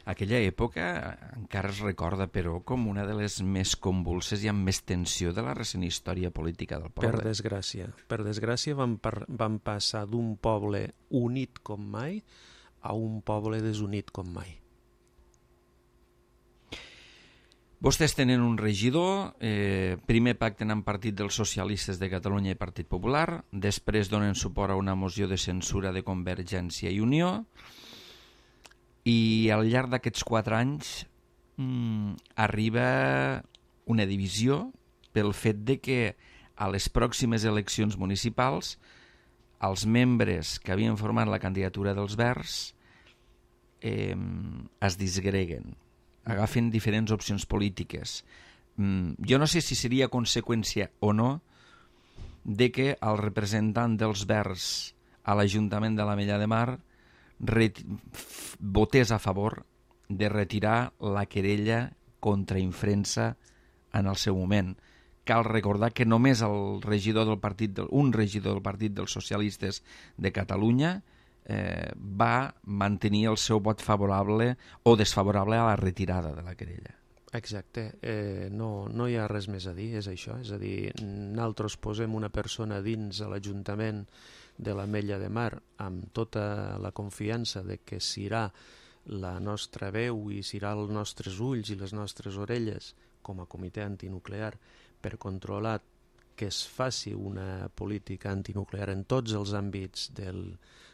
Aquella època encara es recorda, però, com una de les més convulses i amb més tensió de la recent història política del poble. Per desgràcia. Per desgràcia vam, par vam passar d'un poble unit com mai a un poble desunit com mai. Vostès tenen un regidor, eh, primer pacten amb Partit dels Socialistes de Catalunya i Partit Popular, després donen suport a una moció de censura de Convergència i Unió, i al llarg d'aquests quatre anys mmm, arriba una divisió pel fet de que a les pròximes eleccions municipals els membres que havien format la candidatura dels Verds eh, es disgreguen, agafen diferents opcions polítiques. Mm, jo no sé si seria conseqüència o no de que el representant dels Verds a l'Ajuntament de l'Ametlla de Mar votés a favor de retirar la querella contra Infrensa en el seu moment. Cal recordar que només el regidor del partit del, un regidor del Partit dels Socialistes de Catalunya eh, va mantenir el seu vot favorable o desfavorable a la retirada de la querella. Exacte, eh, no, no hi ha res més a dir, és això, és a dir, nosaltres posem una persona dins de l'Ajuntament de l'Ametlla de Mar amb tota la confiança de que serà la nostra veu i serà els nostres ulls i les nostres orelles com a comitè antinuclear per controlar que es faci una política antinuclear en tots els àmbits del,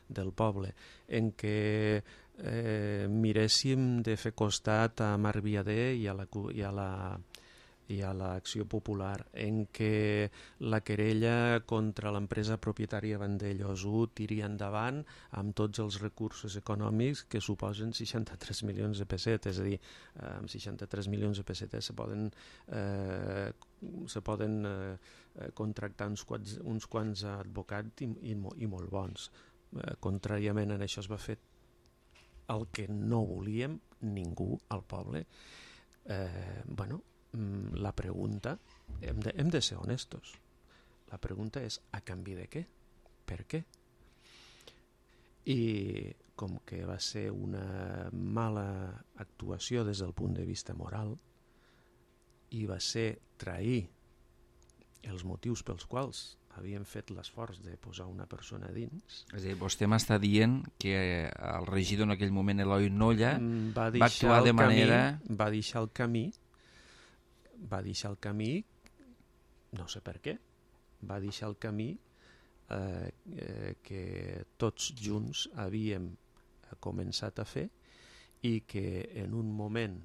del poble, en què eh, miréssim de fer costat a Marc Viader i a la, i a la i a l'Acció Popular, en què la querella contra l'empresa propietària Vandellós u tiri endavant amb tots els recursos econòmics que suposen seixanta-tres milions de pessetes, és a dir, amb seixanta-tres milions de pessetes se poden, eh, se poden eh, contractar uns quants, uns quants advocats i, i, i molt bons. Eh, contràriament a això es va fer el que no volíem ningú al poble. Eh, bueno, la pregunta, hem de, hem de ser honestos, la pregunta és a canvi de què? Per què? I com que va ser una mala actuació des del punt de vista moral i va ser trair els motius pels quals havíem fet l'esforç de posar una persona dins. És a dir, vostè m'està dient que el regidor en aquell moment, Eloi Nolla, va, va actuar de manera... Camí, va deixar el camí va deixar el camí, no sé per què, va deixar el camí eh, eh, que tots junts havíem començat a fer i que en un moment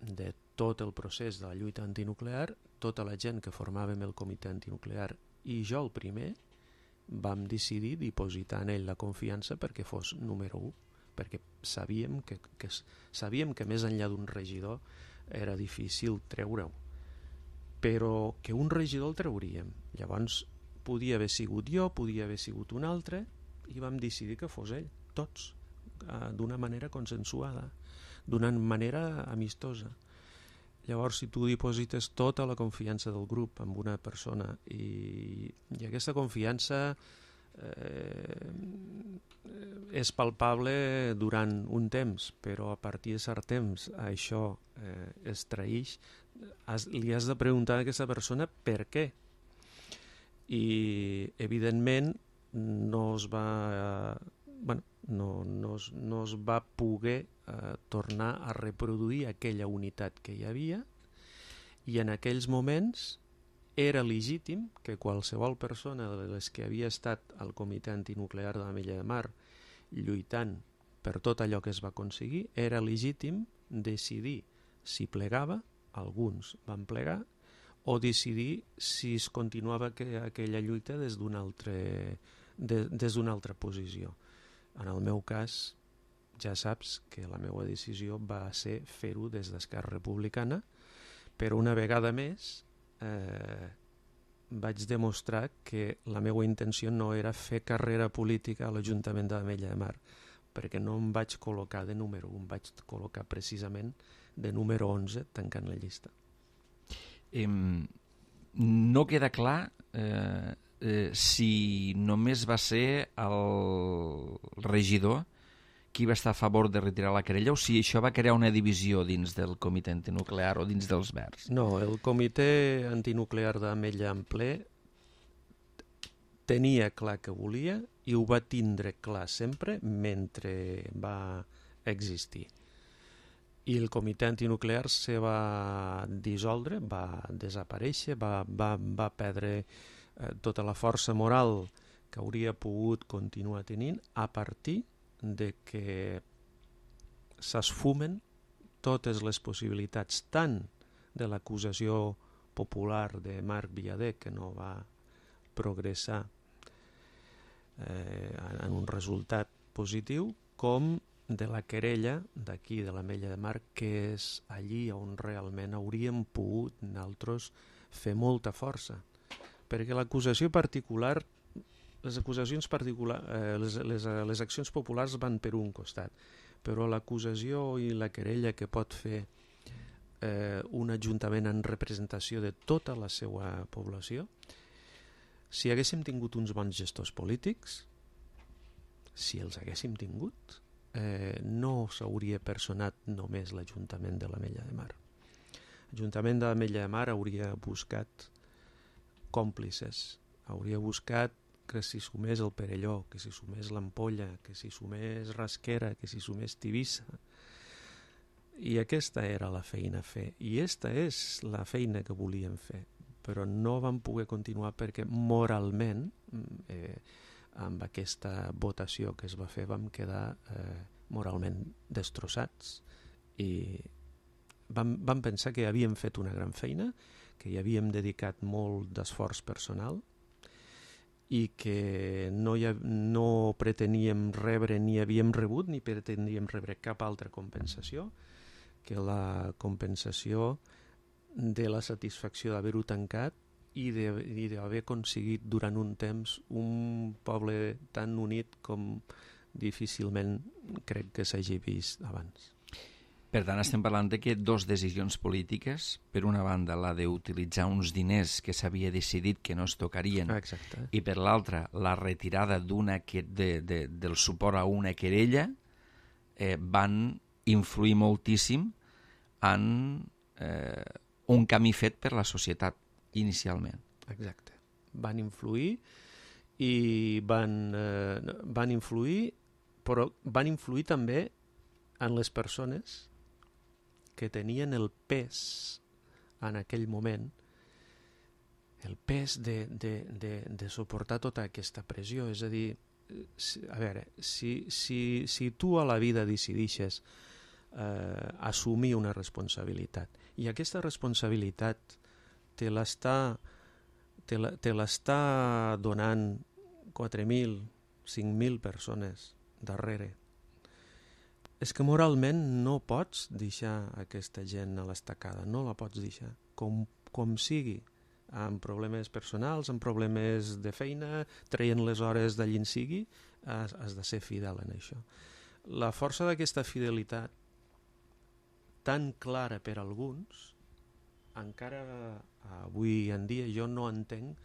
de tot el procés de la lluita antinuclear, tota la gent que formàvem el comitè antinuclear i jo el primer, vam decidir dipositar en ell la confiança perquè fos número u, perquè sabíem que, que, sabíem que més enllà d'un regidor era difícil treure-ho, però que un regidor el trauríem. Llavors podia haver sigut jo, podia haver sigut un altre, i vam decidir que fos ell, tots, d'una manera consensuada, d'una manera amistosa. Llavors, si tu diposites tota la confiança del grup en una persona i, i aquesta confiança eh, és palpable durant un temps, però a partir de cert temps això eh, es traïx, has, li has de preguntar a aquesta persona per què. I evidentment no es va eh, bueno, no, no, es, no es va poder eh, tornar a reproduir aquella unitat que hi havia, i en aquells moments era legítim que qualsevol persona de les que havia estat al comitè antinuclear de l'Ametlla de Mar lluitant per tot allò que es va aconseguir, era legítim decidir si plegava, alguns van plegar, o decidir si es continuava que, aquella lluita des d'una altre, de, des d'una altra posició. En el meu cas, ja saps que la meva decisió va ser fer-ho des d'Esquerra Republicana, però una vegada més eh, vaig demostrar que la meva intenció no era fer carrera política a l'Ajuntament de l'Ametlla de Mar, perquè no em vaig col·locar de número un, em vaig col·locar precisament de número onze tancant la llista. Eh, no queda clar eh, eh, si només va ser el regidor qui va estar a favor de retirar la querella o si això va crear una divisió dins del comitè antinuclear o dins dels Verds. No, el comitè antinuclear d'Ametlla en ple tenia clar que volia i ho va tindre clar sempre mentre va existir. I el comitè antinuclear se va dissoldre, va desaparèixer, va, va, va perdre eh, tota la força moral que hauria pogut continuar tenint a partir de que s'esfumen totes les possibilitats tant de l'acusació popular de Marc Villader, que no va progressar eh, en un resultat positiu, com de la querella d'aquí, de l'Ametlla de Mar, que és allí on realment hauríem pogut nosaltres fer molta força. Perquè l'acusació particular, les acusacions particulars, eh, les, les, les accions populars van per un costat, però l'acusació i la querella que pot fer eh, un ajuntament en representació de tota la seva població, si haguéssim tingut uns bons gestors polítics, si els haguéssim tingut, eh, no s'hauria personat només l'Ajuntament de l'Ametlla de Mar. L'Ajuntament de l'Ametlla de Mar hauria buscat còmplices, hauria buscat que s'hi sumés el Perelló, que s'hi sumés l'Ampolla, que s'hi sumés Rasquera, que s'hi sumés Tivissa. I aquesta era la feina a fer. I aquesta és la feina que volíem fer. Però no vam poder continuar perquè moralment, eh, amb aquesta votació que es va fer, vam quedar eh, moralment destrossats i vam, vam pensar que havíem fet una gran feina, que hi havíem dedicat molt d'esforç personal i que no, hi ha, no preteníem rebre ni havíem rebut ni preteníem rebre cap altra compensació que la compensació de la satisfacció d'haver-ho tancat i d'haver aconseguit durant un temps un poble tan unit com difícilment crec que s'hagi vist abans. Per tant, estem parlant de que dos decisions polítiques, per una banda la d'utilitzar uns diners que s'havia decidit que no es tocarien, exacte, i per l'altra la retirada d'una que, de, de, del suport a una querella, eh, van influir moltíssim en eh, un camí fet per la societat inicialment. Exacte. Van influir i van, eh, van influir, però van influir també en les persones que tenien el pes en aquell moment, el pes de, de, de, de suportar tota aquesta pressió. És a dir, a veure, si, si, si tu a la vida decidixes eh, assumir una responsabilitat i aquesta responsabilitat te l'està te la, te l'està donant quatre mil, cinc mil persones darrere, és que moralment no pots deixar aquesta gent a l'estacada, no la pots deixar, com, com sigui, amb problemes personals, amb problemes de feina, traient les hores d'allí en sigui, has, has de ser fidel en això. La força d'aquesta fidelitat, tan clara per alguns, encara avui en dia jo no entenc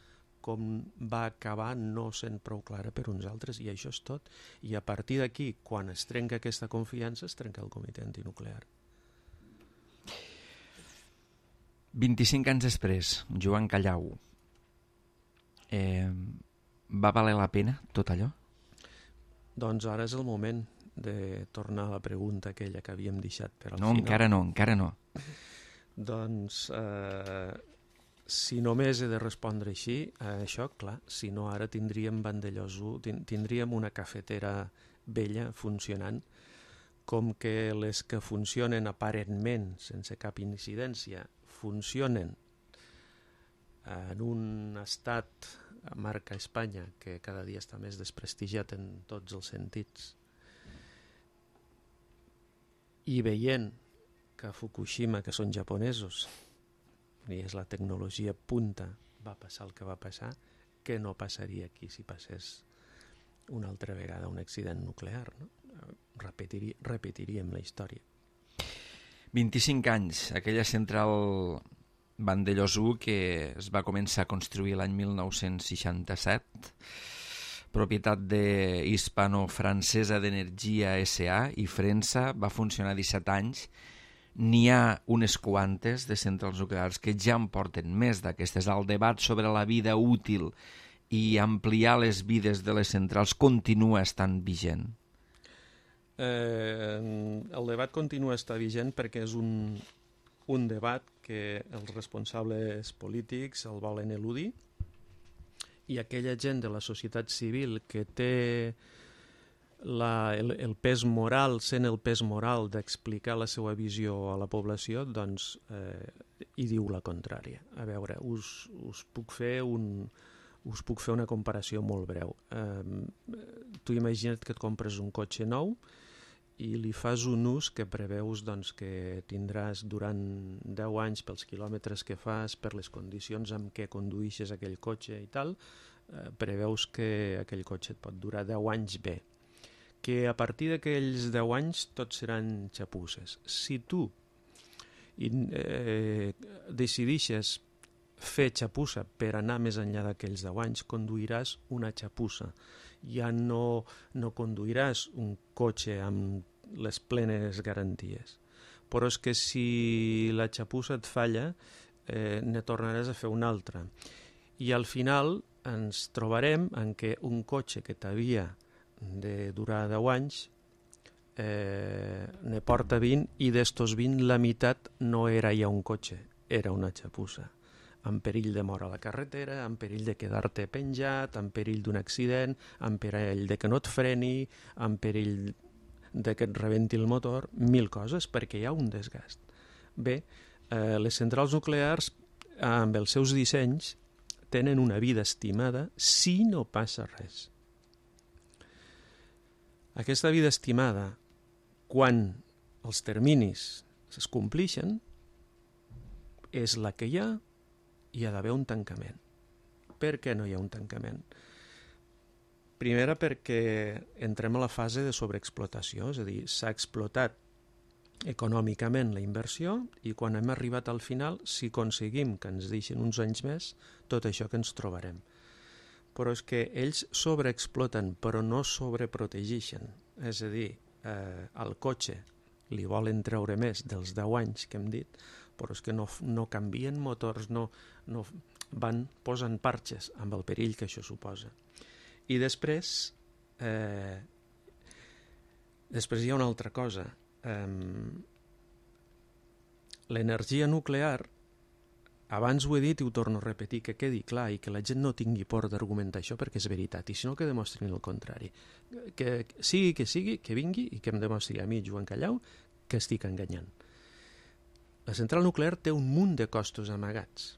com va acabar no sent prou clara per uns altres, i això és tot. I a partir d'aquí, quan es trenca aquesta confiança, es trenca el comitè antinuclear. vint-i-cinc anys després, Joan Callau, eh, va valer la pena tot allò? Doncs ara és el moment de tornar a la pregunta aquella que havíem deixat per al no, final. No, encara no, encara no. Doncs, eh, si només he de respondre així, a això, clar, si no ara tindríem Vandellós, tindríem una cafetera vella funcionant, com que les que funcionen aparentment, sense cap incidència, funcionen en un estat a marca Espanya que cada dia està més desprestigiat en tots els sentits, i veient que a Fukushima, que són japonesos, i és la tecnologia punta, va passar el que va passar, que no passaria aquí si passés una altra vegada un accident nuclear, no? repetiri, repetiríem la història. vint-i-cinc anys, aquella central Vandellòs u que es va començar a construir l'any mil nou-cents seixanta-set, propietat de Hispano-Francesa d'Energia S A i Frensa, va funcionar disset anys. N'hi ha unes quantes de centrals nuclears que ja en porten més d'aquestes. El debat sobre la vida útil i ampliar les vides de les centrals continua estant vigent. Eh, el debat continua estant vigent perquè és un, un debat que els responsables polítics el volen eludir, i aquella gent de la societat civil que té la, el, el pes moral, sent el pes moral d'explicar la seva visió a la població, doncs eh, hi diu la contrària. A veure, us, us puc fer un, us puc fer una comparació molt breu. Eh, tu imagina't que et compres un cotxe nou i li fas un ús que preveus doncs, que tindràs durant deu anys pels quilòmetres que fas, per les condicions amb què conduïxes aquell cotxe i tal, eh, preveus que aquell cotxe et pot durar deu anys bé. Que a partir d'aquells deu anys tots seran xapusses. Si tu eh, decidixes fer xapussa per anar més enllà d'aquells deu anys, conduiràs una xapussa. Ja no, no conduiràs un cotxe amb les plenes garanties. Però és que si la xapussa et falla, eh, ne tornaràs a fer una altra. I al final ens trobarem en què un cotxe que t'havia de durar deu anys eh, ne porta vint, i d'estos vint la meitat no era ja un cotxe, era una xapussa, amb perill de mort a la carretera, amb perill de quedar-te penjat, amb perill d'un accident, amb perill de que no et freni, amb perill de que et rebenti el motor, mil coses, perquè hi ha un desgast. Bé, eh, les centrals nuclears, amb els seus dissenys, tenen una vida estimada si no passa res. Aquesta vida estimada, quan els terminis es complixen, és la que hi ha. Hi ha d'haver un tancament. Per què no hi ha un tancament? Primera, perquè entrem a la fase de sobreexplotació, és a dir, s'ha explotat econòmicament la inversió i quan hem arribat al final, si aconseguim que ens deixin uns anys més, tot això que ens trobarem. Però és que ells sobreexploten, però no sobreprotegeixen. És a dir, eh, al cotxe li volen treure més dels deu anys que hem dit, però és que no, no canvien motors, no, no van posant parxes amb el perill que això suposa. I després, eh, després hi ha una altra cosa. Eh, l'energia nuclear, abans ho he dit i ho torno a repetir, que quedi clar i que la gent no tingui por d'argumentar això perquè és veritat, i si no que demostrin el contrari. Que sigui que sigui, que vingui i que em demostri a mi, Joan Callau, que estic enganyant. La central nuclear té un munt de costos amagats.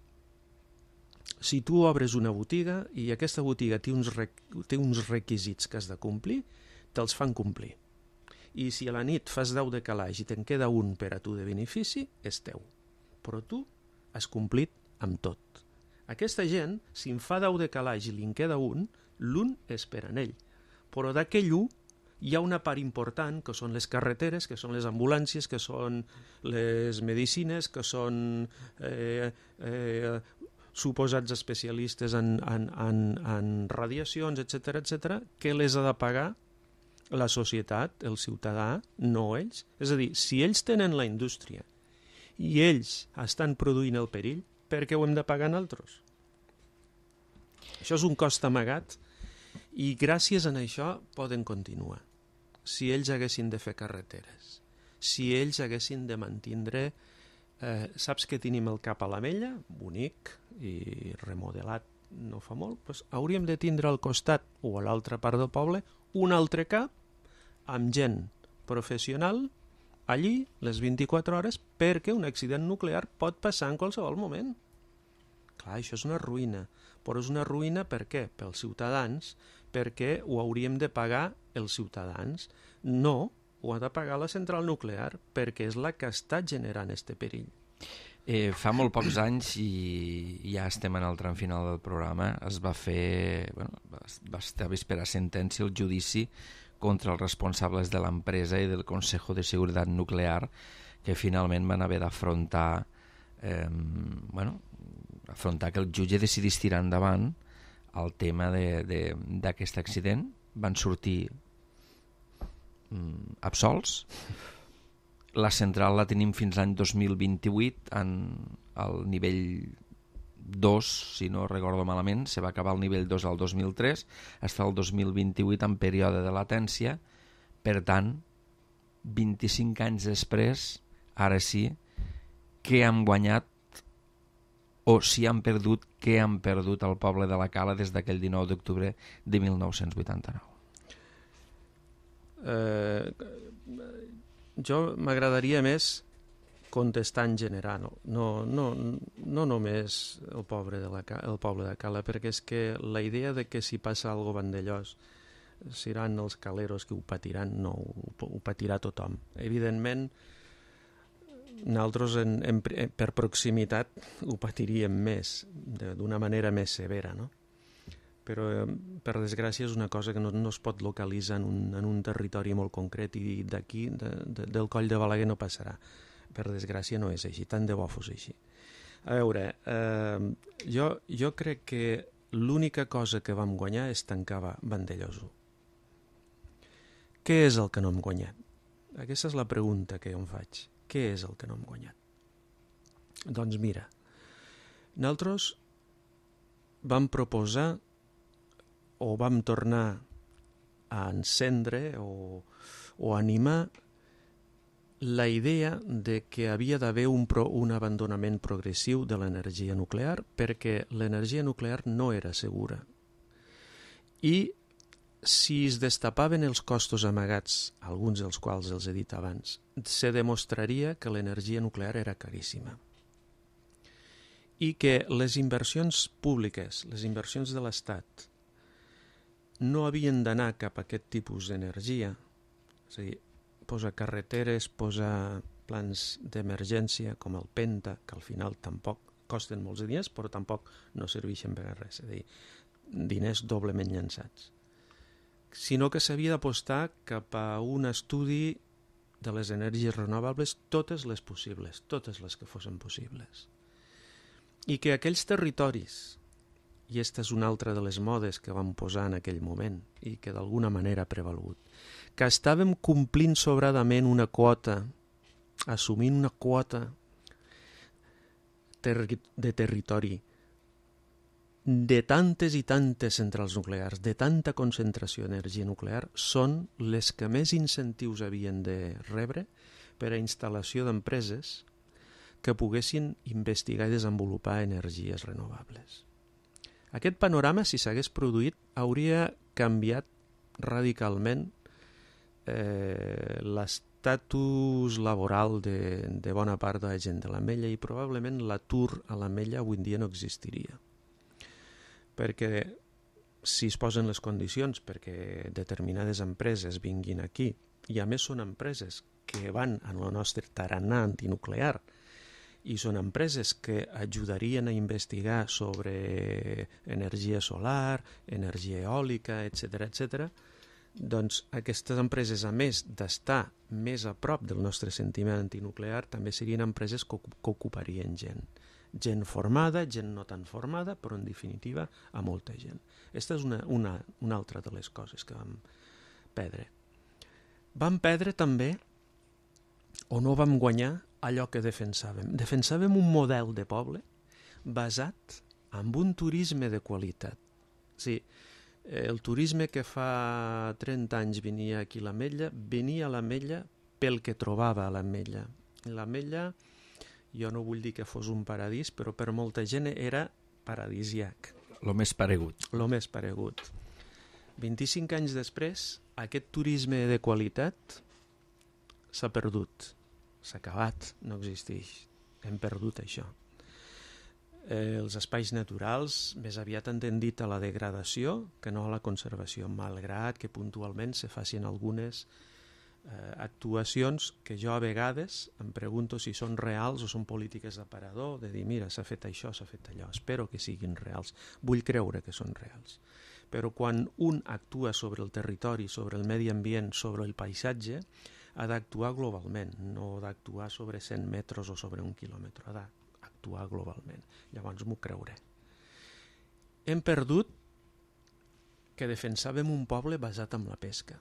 Si tu obres una botiga i aquesta botiga té uns, requ té uns requisits que has de complir, te'ls fan complir. I si a la nit fas deu de calaix i te'n queda un per a tu de benefici, és teu. Però tu has complit amb tot. Aquesta gent, si en fa deu de calaix i li en queda un, l'un és per a ell. Però d'aquell un hi ha una part important, que són les carreteres, que són les ambulàncies, que són les medicines, que són eh, eh, suposats especialistes en, en, en, en radiacions, etcètera, etcètera, que les ha de pagar la societat, el ciutadà, no ells. És a dir, si ells tenen la indústria i ells estan produint el perill, per què ho hem de pagar nosaltres? Això és un cost amagat i gràcies a això poden continuar. Si ells haguessin de fer carreteres, si ells haguessin de mantindre, eh, saps que tenim el cap a l'Amella, bonic i remodelat no fa molt, doncs hauríem de tindre al costat o a l'altra part del poble un altre cap amb gent professional allí les vint-i-quatre hores, perquè un accident nuclear pot passar en qualsevol moment. Clar, això és una ruïna, però és una ruïna per què? Pels ciutadans, perquè ho hauríem de pagar els ciutadans. No, ho ha de pagar la central nuclear, perquè és la que està generant este perill. Eh, fa molt pocs anys, i ja estem en el tram final del programa, es va fer, bueno, va, va estar a esperar sentència el judici contra els responsables de l'empresa i del Consejo de Seguretat Nuclear, que finalment van haver d'afrontar eh, bueno, afrontar que el jutge decidís tirar endavant el tema d'aquest accident. Van sortir mm, absolts. La central la tenim fins l'any dos mil vint-i-vuit en el nivell dos, si no recordo malament. Se va acabar el nivell dos al dos mil tres, fins al dos mil vint-i-vuit en període de latència. Per tant, vint-i-cinc anys després, ara sí, què han guanyat o si han perdut, què han perdut el poble de la Cala des d'aquell dinou d'octubre de mil nou-cents vuitanta-nou? Eh, jo m'agradaria més contestar en general, no, no, no, no només el poble de la, el poble de Cala, perquè és que la idea de que si passa algo a Vandellòs seran els caleros que ho patiran, no, ho, ho patirà tothom. Evidentment, nosaltres en, en, per proximitat ho patiríem més, d'una manera més severa, no? Però per desgràcia és una cosa que no, no es pot localitzar en un, en un territori molt concret i d'aquí, de, de, del Coll de Balaguer no passarà. Per desgràcia no és així, tant de bo fos així. A veure, eh, jo, jo crec que l'única cosa que vam guanyar és tancar Vandellòs u. Què és el que no hem guanyat? Aquesta és la pregunta que jo em faig. Què és el que no hem guanyat? Doncs mira, nosaltres vam proposar o vam tornar a encendre o, o animar la idea de que havia d'haver un, pro, un abandonament progressiu de l'energia nuclear perquè l'energia nuclear no era segura. I si es destapaven els costos amagats, alguns dels quals els he dit abans, se demostraria que l'energia nuclear era caríssima i que les inversions públiques, les inversions de l'Estat, no havien d'anar cap a aquest tipus d'energia, és a dir, posa carreteres, posa plans d'emergència com el Penta, que al final tampoc costen molts diners, però tampoc no serveixen per a res, és a dir, diners doblement llançats, sinó que s'havia d'apostar cap a un estudi de les energies renovables, totes les possibles, totes les que fossin possibles. I que aquells territoris, i aquesta és una altra de les modes que vam posar en aquell moment i que d'alguna manera ha prevalgut, que estàvem complint sobradament una quota, assumint una quota ter de territori de tantes i tantes centrals nuclears, de tanta concentració d'energia nuclear, són les que més incentius havien de rebre per a instal·lació d'empreses que poguessin investigar i desenvolupar energies renovables. Aquest panorama, si s'hagués produït, hauria canviat radicalment eh, l'estatus laboral de, de bona part de la gent de l'Ametlla i probablement l'atur a l'Ametlla avui en dia no existiria. Perquè si es posen les condicions perquè determinades empreses vinguin aquí, i a més són empreses que van en el nostre tarannà antinuclear i són empreses que ajudarien a investigar sobre energia solar, energia eòlica, etcètera, etcètera, doncs aquestes empreses, a més d'estar més a prop del nostre sentiment antinuclear, també serien empreses que, que ocuparien gent. Gent formada, gent no tan formada, però en definitiva a molta gent. Aquesta és una, una, una altra de les coses que vam perdre. Vam perdre també, o no vam guanyar, allò que defensàvem. Defensàvem un model de poble basat en un turisme de qualitat. Sí, el turisme que fa trenta anys venia aquí a l'Ametlla, venia a l'Ametlla pel que trobava a l'Ametlla. L'Ametlla, jo no vull dir que fos un paradís, però per molta gent era paradisiac. Lo més paregut. Lo més paregut. vint-i-cinc anys després, aquest turisme de qualitat s'ha perdut. S'ha acabat, no existeix. Hem perdut això. Eh, els espais naturals més aviat han tendit a la degradació que no a la conservació, malgrat que puntualment se facin algunes eh, actuacions que jo a vegades em pregunto si són reals o són polítiques d'aparador, de dir, mira, s'ha fet això, s'ha fet allò. Espero que siguin reals. Vull creure que són reals. però quan un actua sobre el territori, sobre el medi ambient, sobre el paisatge, ha d'actuar globalment, no d'actuar sobre cent metres o sobre un quilòmetre, ha d'actuar globalment. Llavors m'ho creuré. Hem perdut que defensàvem un poble basat en la pesca.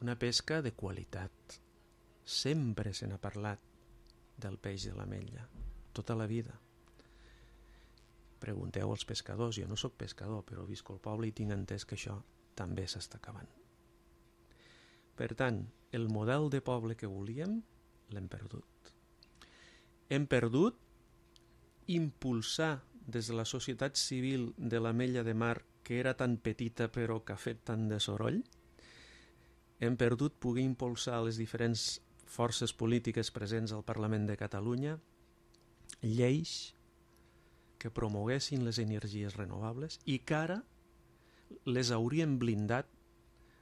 Una pesca de qualitat. Sempre se n'ha parlat del peix de l'ametlla, tota la vida. Pregunteu als pescadors, jo no sóc pescador, però visc al poble i tinc entès que això també s'està acabant. Per tant, el model de poble que volíem l'hem perdut. Hem perdut impulsar des de la societat civil de l'Ametlla de Mar, que era tan petita però que ha fet tant de soroll. Hem perdut poder impulsar les diferents forces polítiques presents al Parlament de Catalunya lleis que promoguessin les energies renovables i que ara les haurien blindat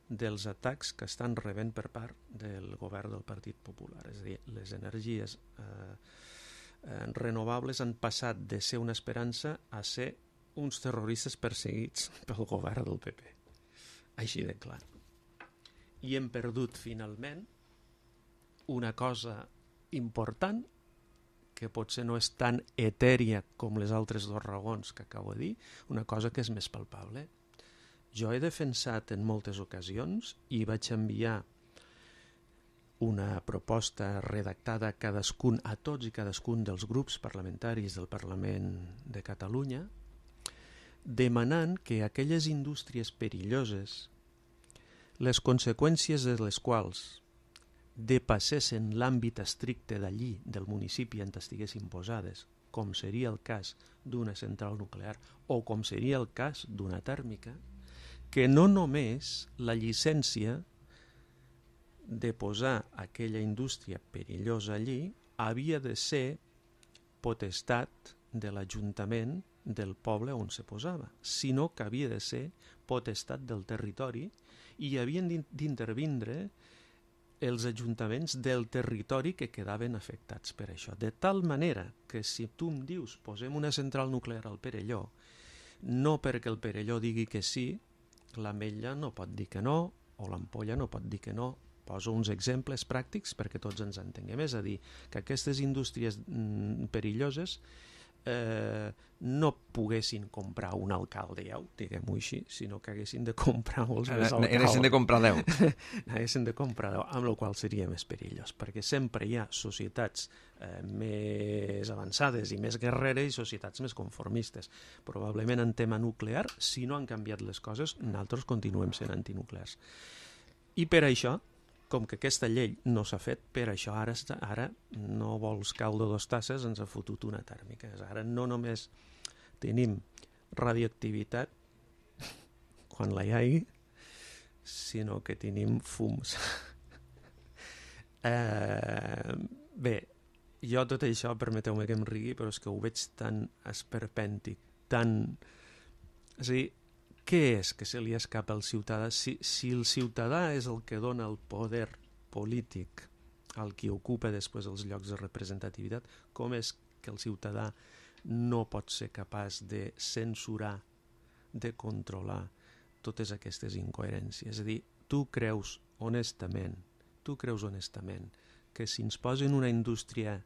dels atacs que estan rebent per part del govern del Partit Popular. És a dir, les energies eh, eh, renovables han passat de ser una esperança a ser uns terroristes perseguits pel govern del P P. Així de clar. I hem perdut finalment una cosa important que potser no és tan etèria com les altres dues raons que acabo de dir, una cosa que és més palpable. Jo he defensat en moltes ocasions i vaig enviar una proposta redactada a cadascun, a tots i cadascun dels grups parlamentaris del Parlament de Catalunya, demanant que aquelles indústries perilloses, les conseqüències de les quals depassessin l'àmbit estricte d'allí, del municipi on estiguessin posades, com seria el cas d'una central nuclear o com seria el cas d'una tèrmica, que no només la llicència de posar aquella indústria perillosa allí havia de ser potestat de l'Ajuntament del poble on se posava, sinó que havia de ser potestat del territori i havien d'intervindre els ajuntaments del territori que quedaven afectats per això. De tal manera que si tu em dius posem una central nuclear al Perelló, no perquè el Perelló digui que sí, l'Ametlla no pot dir que no, o l'Ampolla no pot dir que no. Poso uns exemples pràctics perquè tots ens entenguem. És a dir, que aquestes indústries mm, perilloses eh, no poguessin comprar un alcalde, ja, diguem-ho així, sinó que haguessin de comprar molts més alcaldes. Haguessin de comprar deu. Haguessin de comprar deu, amb la qual seria més perillós, perquè sempre hi ha societats eh, més avançades i més guerreres i societats més conformistes. Probablement en tema nuclear, si no han canviat les coses, nosaltres continuem sent antinuclears. I per això, com que aquesta llei no s'ha fet, per això ara, ara no vols caldo dos tasses, ens ha fotut una tèrmica. Ara no només tenim radioactivitat quan la hi hagi, sinó que tenim fums. eh, bé, jo tot això, permeteu-me que em rigui, però és que ho veig tan esperpèntic, tan... És a dir, què és que se li escapa al ciutadà? Si, si el ciutadà és el que dona el poder polític al qui ocupa després els llocs de representativitat, com és que el ciutadà no pot ser capaç de censurar, de controlar totes aquestes incoherències? És a dir, tu creus honestament, tu creus honestament que si ens posen una indústria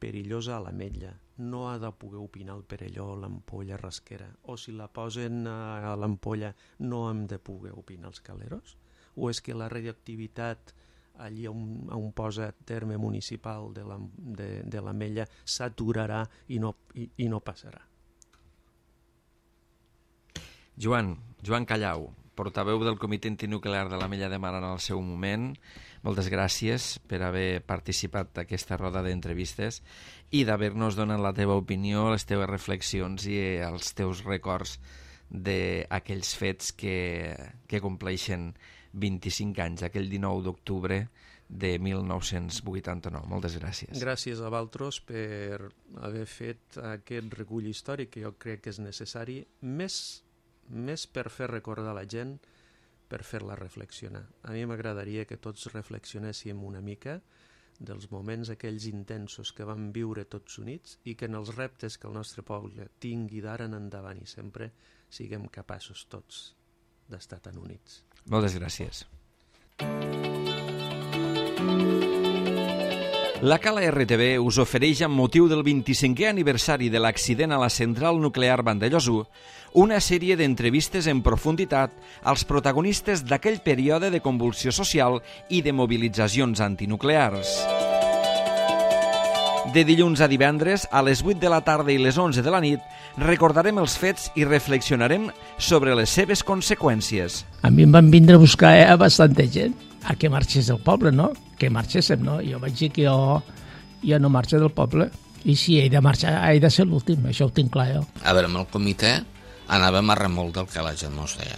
perillosa a l'Ametlla, no ha de poder opinar el Perelló, l'Ampolla, Rasquera, o si la posen a l'Ampolla no hem de poder opinar els Caleros? O és que la radioactivitat allí on, on posa terme municipal de l'Ametlla s'aturarà i, no, i, i no passarà? Joan, Joan Callau, portaveu del Comitè Antinuclear de l'Ametlla de Mar en el seu moment, moltes gràcies per haver participat d'aquesta roda d'entrevistes i d'haver-nos donat la teva opinió, les teves reflexions i els teus records d'aquells fets que, que compleixen vint-i-cinc anys, aquell dinou d'octubre de mil nou-cents vuitanta-nou. Moltes gràcies. Gràcies a vosaltres per haver fet aquest recull històric que jo crec que és necessari, més, més per fer recordar la gent, per fer-la reflexionar. A mi m'agradaria que tots reflexionéssim una mica dels moments aquells intensos que vam viure tots units i que en els reptes que el nostre poble tingui d'ara en endavant i sempre siguem capaços tots d'estar tan units. Moltes gràcies. La Cala R T V us ofereix, amb motiu del vint-i-cinquè aniversari de l'accident a la central nuclear Vandellòs, una sèrie d'entrevistes en profunditat als protagonistes d'aquell període de convulsió social i de mobilitzacions antinuclears. De dilluns a divendres, a les vuit de la tarda i les onze de la nit, recordarem els fets i reflexionarem sobre les seves conseqüències. A mi em van vindre a buscar eh, bastanta gent a que marxés del poble, no? Que marxéssim, no? Jo vaig dir que jo, jo no marxo del poble. I si he de marxar, he de ser l'últim, això ho tinc clar jo. A veure, amb el comitè anàvem a remolc del que la gent no es deia.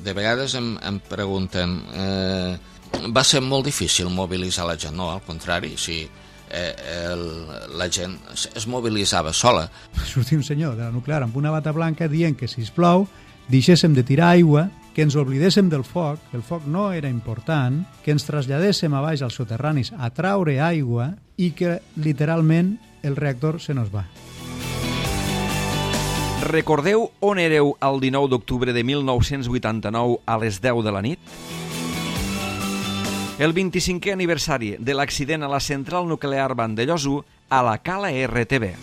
De vegades em, em pregunten... Eh, va ser molt difícil mobilitzar la gent, no? Al contrari, si eh, el, la gent es mobilitzava sola. Sortia un senyor de la nuclear amb una bata blanca dient que, sisplau, deixéssim de tirar aigua, que ens oblidéssim del foc, que el foc no era important, que ens traslladéssim a baix als soterranis a traure aigua i que, literalment, el reactor se nos va. Recordeu on éreu el dinou d'octubre de mil nou-cents vuitanta-nou a les deu de la nit? El vint-i-cinquè aniversari de l'accident a la central nuclear Vandellòs a la Cala R T V.